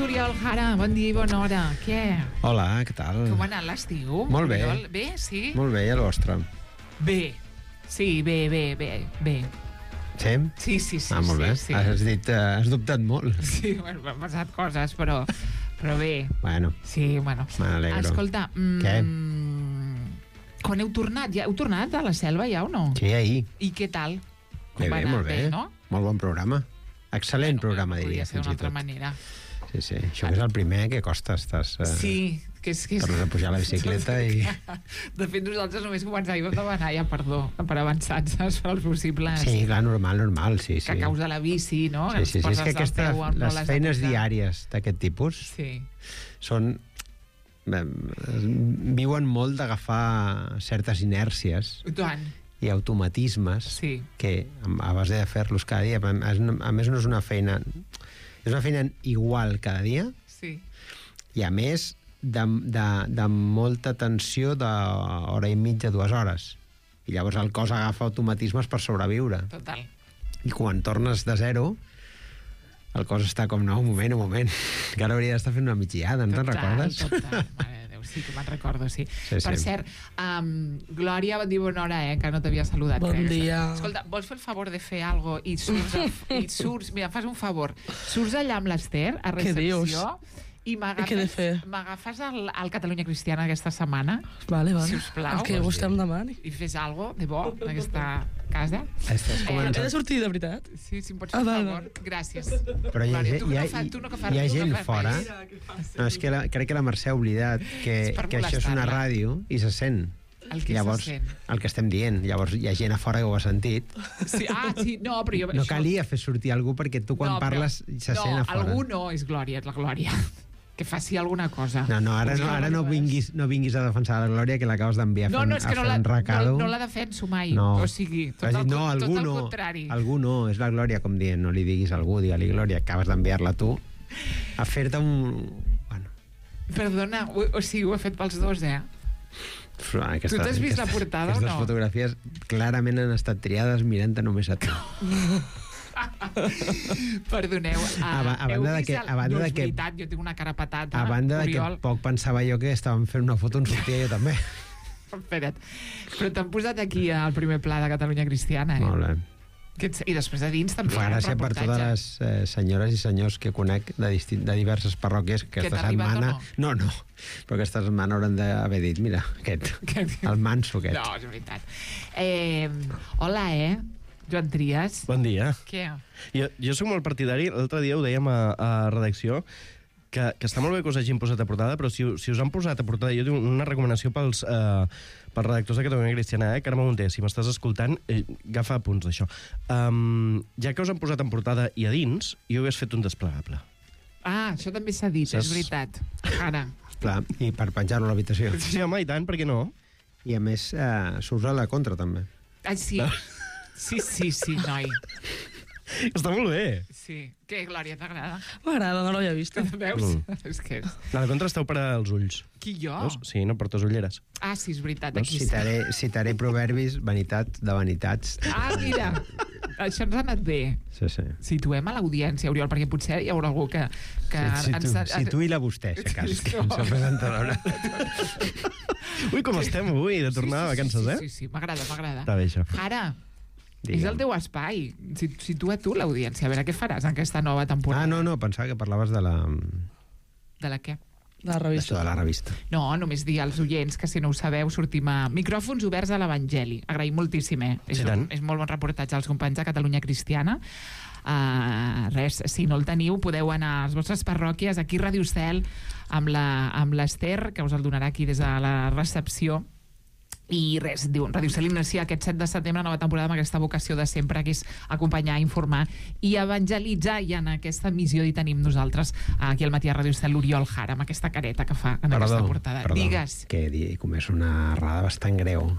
Oriol Jara, bon dia i bona hora. Què? Hola, què tal? Com ha anat l'estiu? Molt bé. Oriol? Bé, sí? Molt bé, i el vostre? Bé. Sí, bé. Sí? Sí. Molt bé. Sí. Has dubtat molt. Sí, bueno, m'han passat coses, però bé. Bueno. Sí, bueno. M'alegro. Escolta, Què? Quan heu tornat? Ja heu tornat a la selva, ja, o no? Sí, ahir. I què tal? Bé, molt bé. No? Molt bon programa. Excel·lent programa, diria, fins i tot. Podria ser d'una altra manera. Sí. Això és el primer que costa. Sí, que és... Tornes a pujar a la bicicleta i... De fet, nosaltres només començàvem a demanar ja perdó per avançats els possibles... Sí, clar, normal, sí. Que a causa de la bici, no? Sí, és que les feines diàries d'aquest tipus són... viuen molt d'agafar certes inèrcies i automatismes que a base de fer-los cada dia, a més no és una feina... És una feina igual cada dia i a més de molta tensió d'hora i mitja, 2 hores. I llavors el cos agafa automatismes per sobreviure. Total. I quan tornes de zero, el cos està com, no, un moment, que ara hauria d'estar fent una migdiada, no te'n recordes? Total, mare de Déu, sí que me'n recordo, sí. Per cert, Glòria, bon dia, bona hora, que no t'havia saludat. Bon dia. Escolta, vols fer el favor de fer alguna cosa i surts, mira, fas un favor, surts allà amb l'Ester, a recepció, i m'agafes al Catalunya Cristiana aquesta setmana, sisplau. El que vostè em demani. I fes alguna de bo en aquesta casa. He de sortir, de veritat? Sí, si em pots fer un favor. Gràcies. Però hi ha gent fora. No, és que crec que la Mercè ha oblidat que això és una ràdio i se sent. Llavors, el que estem dient. Llavors hi ha gent a fora que ho ha sentit. Sí, no, però jo... No calia fer sortir algú perquè tu quan parles se sent a fora. No, algú no és Glòria, és la Glòria. Que faci alguna cosa. No, ara no vinguis a defensar la Glòria, que l'acabes d'enviar a fer un recado. No la defenso mai. No. O sigui, tot el contrari. Algú no, és la Glòria, com dient, no li diguis a algú, digue-li Glòria, acabes d'enviar-la tu a fer-te un... Bueno. Perdona, o sigui, ho he fet pels dos, Tu t'has vist la portada o no? Aquestes fotografies clarament han estat triades mirant-te només a tu. Perdoneu. A banda de que... No és veritat, jo tinc una cara patata. A banda de que poc pensava jo que estàvem fent una foto on sortia jo també. Espera't. Però t'han posat aquí al primer pla de Catalunya Cristiana, eh? Molt bé. I després de dins també fa gràcia per totes les senyores i senyors que conec de diverses parròquies que aquesta setmana... No, però aquesta setmana hauran d'haver dit, mira, el manso aquest. No, és veritat. Hola, Joan Trias. Bon dia. Què? Jo soc molt partidari, l'altre dia ho dèiem a redacció, que està molt bé que us hagin posat a portada, però si us han posat a portada, jo tinc una recomanació pels redactors de Catalunya Cristiana, Carme Munté, si m'estàs escoltant, agafa apunts d'això. Ja que us han posat en portada i a dins, jo hagués fet un desplegable. Això també s'ha dit, és veritat. Ara. Clar, i per penjar-lo a l'habitació. Sí, home, i tant, per què no? I a més, s'usa a la contra, també. Sí. Sí, noi. Està molt bé. Sí. Què, Glòria, t'agrada? M'agrada, no l'havia vist. Veus? És que... A la contra esteu per als ulls. Qui, jo? Veus? Sí, no portes ulleres. Sí, és veritat. Aquí citaré proverbis, vanitat de vanitats. Mira, això ens ha anat bé. Sí. Situem a l'audiència, Oriol, perquè potser hi haurà algú que... Situï-la vostè, si cas, que ens ha presentadora. Ui, com estem avui, de tornar a vacances, Sí, m'agrada. Està bé, això. Ara... És el teu espai. Situa tu l'audiència. A veure, què faràs en aquesta nova temporada? No, pensava que parlaves de la... De la què? De la revista. De la revista. No, només dir als oients que, si no ho sabeu, sortim a Micròfons oberts a l'Evangeli. Agraïm moltíssim, Sí, és molt bon reportatge als companys de Catalunya Cristiana. Res, si no el teniu, podeu anar a les vostres parròquies, aquí a Ràdio Estel, amb l'Ester, que us el donarà aquí des de la recepció. I res, diu, Ràdio Estel inicia aquest 7 de setembre, nova temporada, amb aquesta vocació de sempre, que és acompanyar, informar i evangelitzar, i en aquesta missió hi tenim nosaltres aquí al matí a Ràdio Estel l'Oriol Jara, amb aquesta careta que fa en aquesta portada. Digues. Que he comès una errada bastant greu.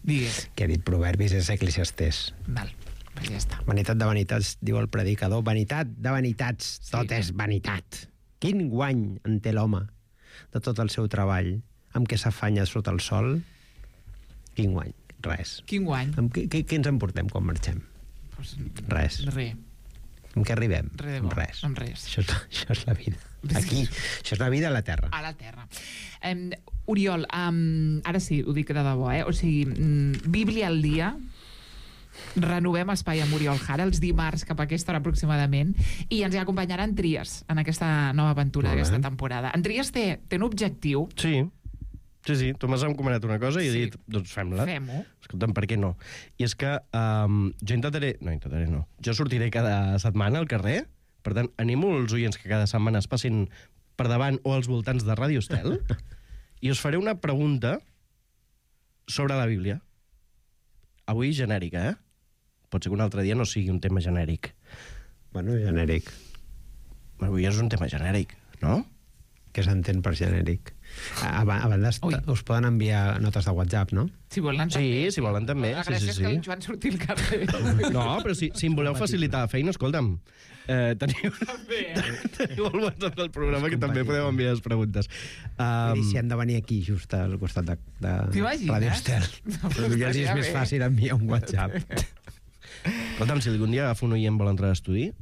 Digues. Que he dit proverbis és Eclesiastés. Val, pues ja està. Vanitat de vanitats, diu el predicador. Vanitat de vanitats, tot és vanitat. Quin guany en té l'home de tot el seu treball, amb què s'afanya sota el sol? Quin guany? Res. Quin guany? Què ens emportem quan marxem? Res. Amb què arribem? Res. Amb res. Això és la vida. Aquí. Això és la vida a la Terra. A la Terra. Oriol, ara sí, ho dic de debò, O sigui, Bíblia al dia, renovem espai amb Oriol Jara els dimarts cap a aquesta hora aproximadament, i ens hi acompanyarà en Trias en aquesta nova aventura d'aquesta temporada. En Trias té un objectiu. Sí, tu m'has encomanat una cosa i he dit, doncs fem-la. Fem-ho. Escolta'm, per què no? I és que jo sortiré cada setmana al carrer, per tant, animo els oients que cada setmana es passin per davant o als voltants de Ràdio Estel i us faré una pregunta sobre la Bíblia. Avui genèrica, Pot ser que un altre dia no sigui un tema genèric. Bueno, genèric. Avui és un tema genèric, no? Què s'entén per genèric? A banda, us poden enviar notes de WhatsApp, no? Si volen també. Sí, si volen també. La gràcia és que el Joan surti al carrer. No, però si em voleu facilitar la feina, escolta'm, teniu el WhatsApp del programa que també podeu enviar les preguntes. I si han de venir aquí, just al costat de Ràdio Estel. Però potser és més fàcil enviar un WhatsApp. Escolta'm, si algun dia agafo un oient vol entrar a l'estudi...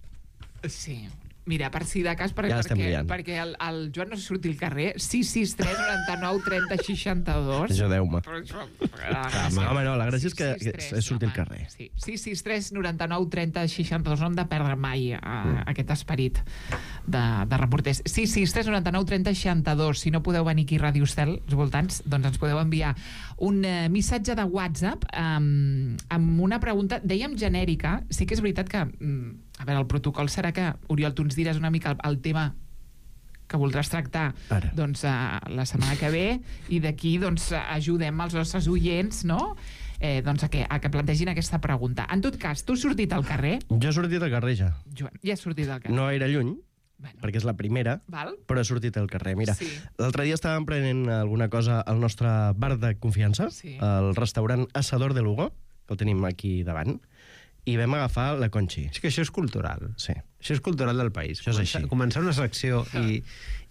Sí. Mira, per si de cas, perquè el Joan no surti al carrer, 663 99 30 62. Ajudeu-me. Home, no, la gràcia és que és sortir al carrer. Sí, 663 99 30 62. No hem de perdre mai aquest esperit de reporters. 663 99 30 62. Si no podeu venir aquí a Ràdio Estel, als voltants, doncs ens podeu enviar un missatge de WhatsApp amb una pregunta, dèiem genèrica. Sí que és veritat que... A veure, el protocol serà que, Oriol, tu ens diràs una mica el tema que voldràs tractar doncs, la setmana que ve, i d'aquí doncs, ajudem els nostres oients, no? Doncs a que plantegin aquesta pregunta. En tot cas, tu has sortit al carrer? Jo he sortit al carrer, ja. Joan, ja has sortit al carrer. No era lluny, perquè és la primera, però he sortit al carrer. Mira, l'altre dia estàvem prenent alguna cosa al nostre bar de confiança, el restaurant Asador de Lugo, que el tenim aquí davant, i vam agafar la Conchi. És que això és cultural. Sí. Això és cultural del país. Això és així. Començar una secció i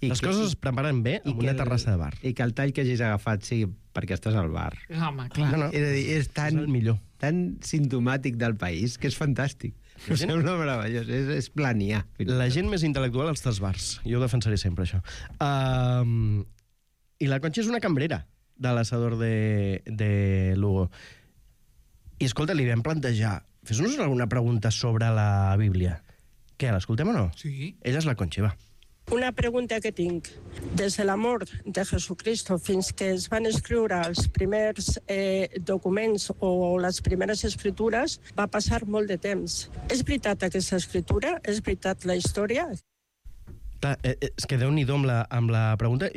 les coses es preparen bé amb una terrassa de bar. I que el tall que hagis agafat sigui perquè estàs al bar. Home, clar. És a dir, és el millor. Tan simptomàtic del país que és fantàstic. Em sembla meravellós, és planià. La gent més intel·lectual als tres bars. Jo ho defensaré sempre, això. I la Concha és una cambrera de l'assador de Lugo. I, escolta, li vam plantejar, fes-nos alguna pregunta sobre la Bíblia. Què, l'escoltem o no? Sí. Ella és la Concha, va. Una pregunta que tinc. Des de la mort de Jesucristo fins que es van escriure els primers documents o les primeres escritures, va passar molt de temps. És veritat aquesta escritura? És veritat la història? Clar, és que Déu-n'hi-do amb la pregunta...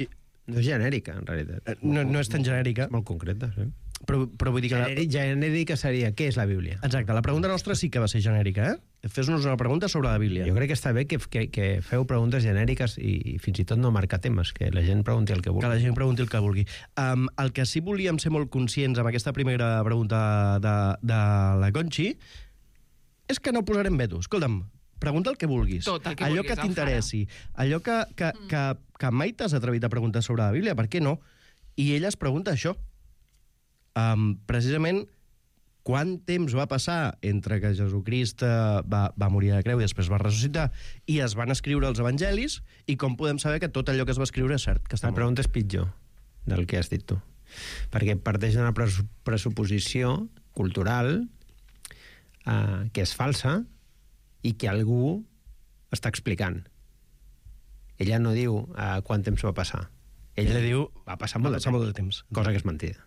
No és genèrica, en realitat. No és tan genèrica. Molt concreta, sí. Però vull dir que... Genèrica seria, què és la Bíblia? Exacte, la pregunta nostra sí que va ser genèrica, eh? Fes-nos una pregunta sobre la Bíblia. Jo crec que està bé que feu preguntes genèriques i fins i tot no marcar temes, que la gent pregunti el que vulgui. Que la gent pregunti el que vulgui. El que sí volíem ser molt conscients amb aquesta primera pregunta de la Conchi és que no posarem veto. Escolta'm, pregunta el que vulguis. Tot el que allò vulguis, que t'interessi. Allò que mai t'has atrevit a preguntar sobre la Bíblia, per què no? I ella es pregunta això. Precisament quant temps va passar entre que Jesucrist va morir a la creu i després va ressuscitar i es van escriure els evangelis i com podem saber que tot allò que es va escriure és cert? Que la pregunta és pitjor del que has dit tu, perquè parteix d'una pressuposició cultural que és falsa i que algú està explicant. Ella no diu quant temps va passar. Ella diu va passar molt de temps, cosa que és mentida.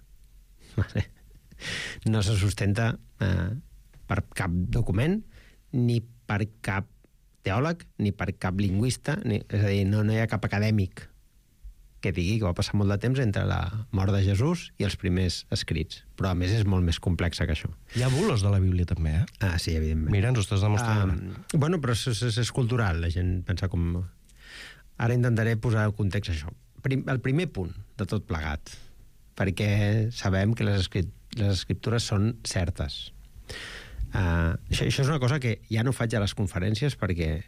No se sustenta per cap document, ni per cap teòleg, ni per cap lingüista, és a dir, no hi ha cap acadèmic que digui que va passar molt de temps entre la mort de Jesús i els primers escrits. Però, a més, és molt més complexa que això. Hi ha bulos de la Bíblia, també, eh? Sí, evidentment. Mira, ens ho estàs demostrant. Bueno, però és cultural, la gent pensa com... Ara intentaré posar el context això. El primer punt de tot plegat, perquè sabem que les escriptures són certes. Això és una cosa que ja no faig a les conferències perquè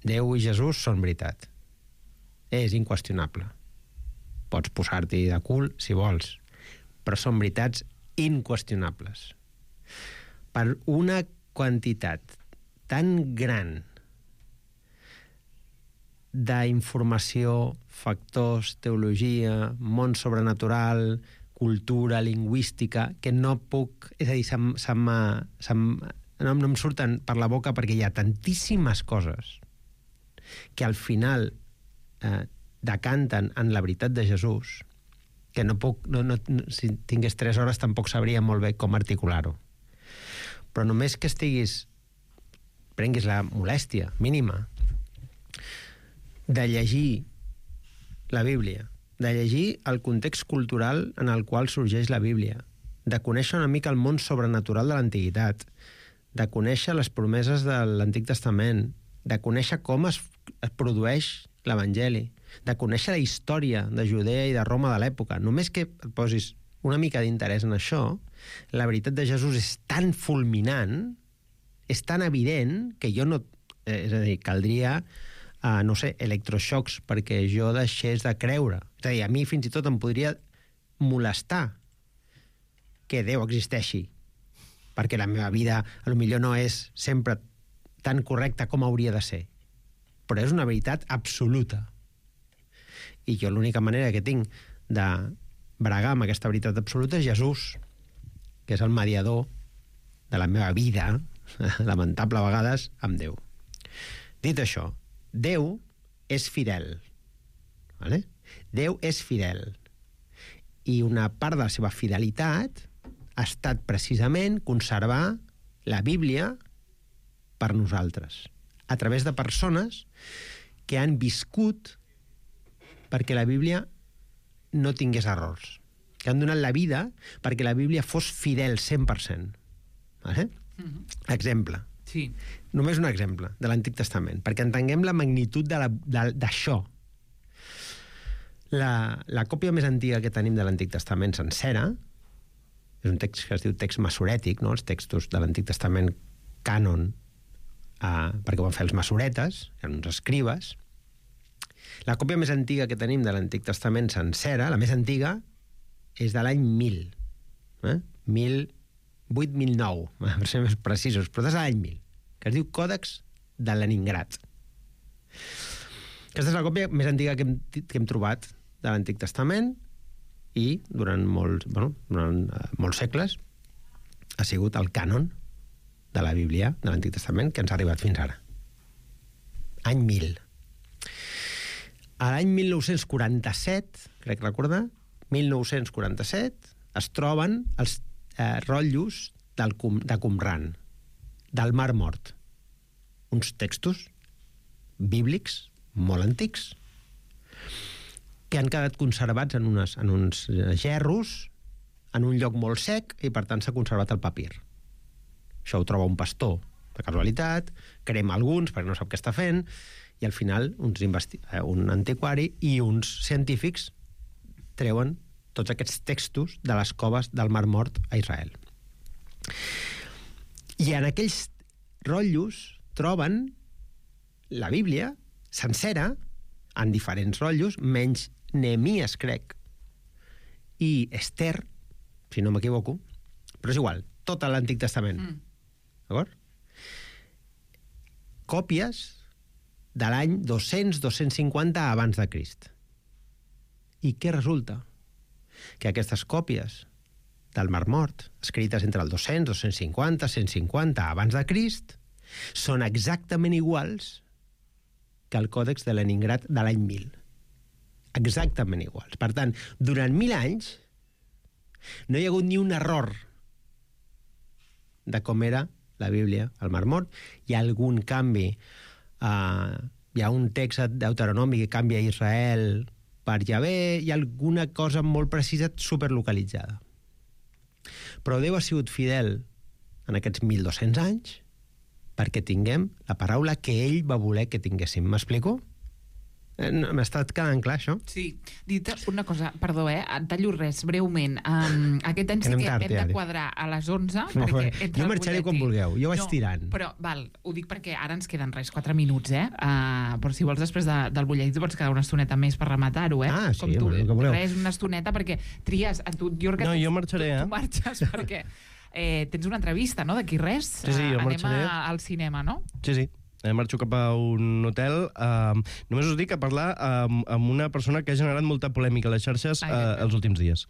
Déu i Jesús són veritat. És inqüestionable. Pots posar-t'hi de cul si vols, però són veritats inqüestionables. Per una quantitat tan gran d'informació, factors, teologia, món sobrenatural, cultura, lingüística, que no puc... És a dir, no em surten per la boca perquè hi ha tantíssimes coses que al final decanten en la veritat de Jesús que no puc... si tingués 3 hores tampoc sabria molt bé com articular-ho. Però només que prenguis la molèstia mínima de llegir la Bíblia, de llegir el context cultural en el qual sorgeix la Bíblia, de conèixer una mica el món sobrenatural de l'antiguitat, de conèixer les promeses de l'Antic Testament, de conèixer com es produeix l'Evangeli, de conèixer la història de Judea i de Roma de l'època. Només que et posis una mica d'interès en això, la veritat de Jesús és tan fulminant, és tan evident, que jo no... És a dir, caldria... no sé, electroxocs perquè jo deixés de creure. És a dir, a mi fins i tot em podria molestar que Déu existeixi, perquè la meva vida potser no és sempre tan correcta com hauria de ser. Però és una veritat absoluta. I jo l'única manera que tinc de bregar amb aquesta veritat absoluta és Jesús, que és el mediador de la meva vida, lamentable a vegades, amb Déu. Dit això, Déu és fidel. Vale? Déu és fidel. I una part de la seva fidelitat ha estat precisament conservar la Bíblia per nosaltres, a través de persones que han viscut perquè la Bíblia no tingués errors, que han donat la vida perquè la Bíblia fos fidel 100%. Vale? Exemple. Sí. Només un exemple de l'Antic Testament, perquè entenguem la magnitud d'això. La còpia més antiga que tenim de l'Antic Testament sencera és un text que es diu text masorètic, no? Els textos de l'Antic Testament cànon, perquè ho van fer els masoretes, eren uns escribes. La còpia més antiga que tenim de l'Antic Testament sencera, la més antiga, és de l'any 1000. 1008-1009, per ser més precisos, però és de l'any 1000. que es diu Còdex de Leningrad. Aquesta és la còpia més antiga que hem trobat de l'Antic Testament i durant molts segles ha sigut el cànon de la Bíblia de l'Antic Testament que ens ha arribat fins ara. Any 1000. A l'any 1947, crec recordar, 1947, es troben els rotllos de Qumran, del Mar Mort. Uns textos bíblics molt antics que han quedat conservats en uns gerros en un lloc molt sec i per tant s'ha conservat el papir. Això ho troba un pastor de casualitat, crema alguns perquè no sap què està fent i al final un antiquari i uns científics treuen tots aquests textos de les coves del Mar Mort a Israel. I en aquells rotllos troben la Bíblia sencera, en diferents rotllos, menys Nehemies, crec, i Esther, si no m'equivoco, però és igual, tot l'Antic Testament. D'acord? Còpies de l'any 200-250 abans de Crist. I què resulta? Que aquestes còpies del Mar Mort, escrites entre el 200, 250, 150 abans de Crist, són exactament iguals que el Còdex de Leningrad de l'any 1000. Exactament iguals. Per tant, durant 1000 anys no hi ha hagut ni un error de com era la Bíblia al Mar Mort. Hi ha algun canvi. Hi ha un text deuteronòmic que canvia a Israel per Yahvé, hi ha alguna cosa molt precisa superlocalitzada. Però Déu ha sigut fidel en aquests 1.200 anys perquè tinguem la paraula que ell va voler que tinguéssim. M'explico? M'ha estat quedant clar, això? Sí. Dit una cosa, perdó, et tallo res, breument. Aquest any sí que hem de quadrar a les 11. Jo marxaré quan vulgueu, jo vaig tirant. Però, ho dic perquè ara ens queden 4 minuts, però si vols després del butlletí pots quedar una estoneta més per rematar-ho, sí, el que voleu. Res, una estoneta, perquè tries... No, jo marxaré, Tu marxes perquè tens una entrevista, no?, d'aquí res. Sí, jo marxaré. Anem al cinema, no? Sí. Marxo cap a un hotel. Només us dic a parlar amb una persona que ha generat molta polèmica a les xarxes els últims dies.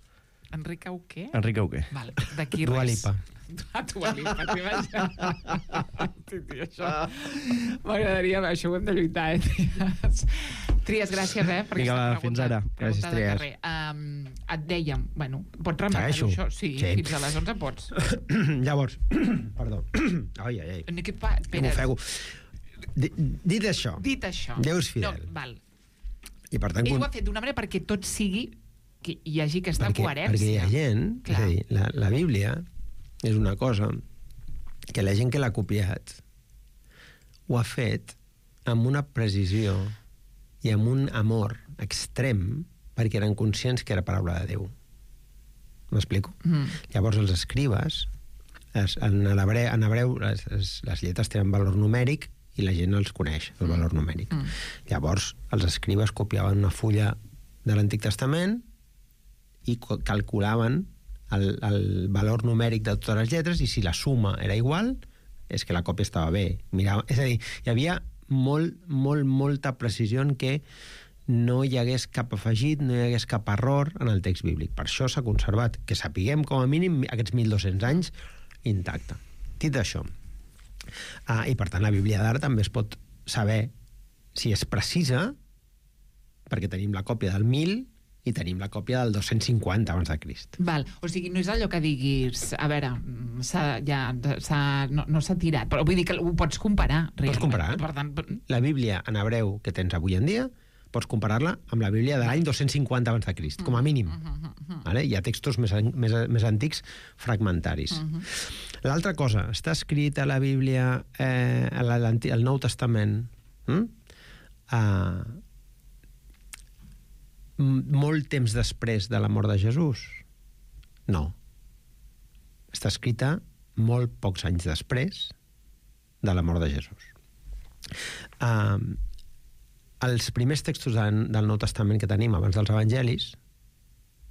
Enric Auqué? Enric Auqué. Val, d'aquí res. Dua Lipa. Dua Lipa, això. M'agradaria, això ho hem de lluitar, Tries, gràcies, per vinga, va, fins ara. Gràcies, Tries. Et dèiem, pots rematar-ho, això? Sí, fins a les 11 pots. Llavors, perdó. Ai. M'ofego. Dit això. Déu és fidel. No, val. I per tant... Ell ho ha fet d'una manera perquè tot sigui... que hi hagi aquesta coherència. Perquè hi ha gent... És a dir, la Bíblia és una cosa que la gent que l'ha copiat ho ha fet amb una precisió i amb un amor extrem perquè eren conscients que era paraula de Déu. M'explico? Llavors els escribes, en hebreu les lletres tenen valor numèric i la gent els coneix, el valor numèric. Llavors els escribes copiaven una fulla de l'Antic Testament i calculaven el valor numèric de totes les lletres i si la suma era igual, és que la còpia estava bé. És a dir, hi havia molta precisió en què no hi hagués cap afegit, no hi hagués cap error en el text bíblic. Per això s'ha conservat, que sapiguem com a mínim aquests 1.200 anys intacte. Dit això, i per tant la Bíblia d'ara també es pot saber si és precisa, perquè tenim la còpia del 1000 i tenim la còpia del 250 abans de Crist. Val, o sigui, no és allò que diguis, a veure, no s'ha tirat, però vull dir que ho pots comparar. Pots comparar. Per tant, la Bíblia en hebreu que tens avui en dia, pots comparar-la amb la Bíblia de l'any 250 abans de Crist, com a mínim. Hi ha textos més antics fragmentaris. L'altra cosa, està escrit a la Bíblia, al Nou Testament, molt temps després de la mort de Jesús? No. Està escrita molt pocs anys després de la mort de Jesús. Els primers textos del Nou Testament que tenim abans dels Evangelis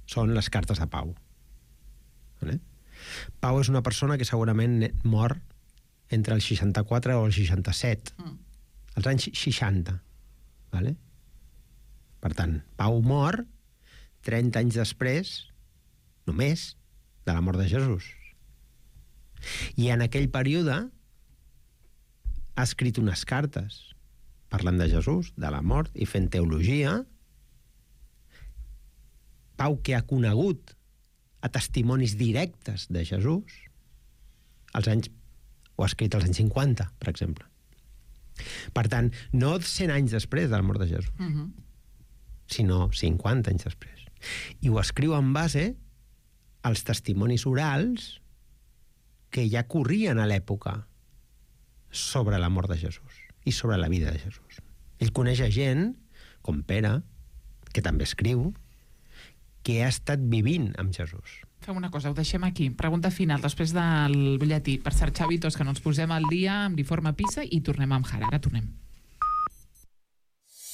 són les cartes de Pau. Pau és una persona que segurament mor entre el 64 o el 67. Els anys 60. Vale? Per tant, Pau mor 30 anys després, només, de la mort de Jesús. I en aquell període ha escrit unes cartes parlant de Jesús, de la mort, i fent teologia. Pau, que ha conegut a testimonis directes de Jesús, ho ha escrit als anys 50, per exemple. Per tant, no 100 anys després de la mort de Jesús, sinó 50 anys després. I ho escriu en base als testimonis orals que ja corrien a l'època sobre la mort de Jesús i sobre la vida de Jesús. Ell coneix a gent, com Pere, que també escriu, que ha estat vivint amb Jesús. Fem una cosa, ho deixem aquí. Pregunta final, després del butlletí. Per cert, Xavi, tots que no ens posem al dia amb l'informe PISA i tornem amb Jara. Ara tornem.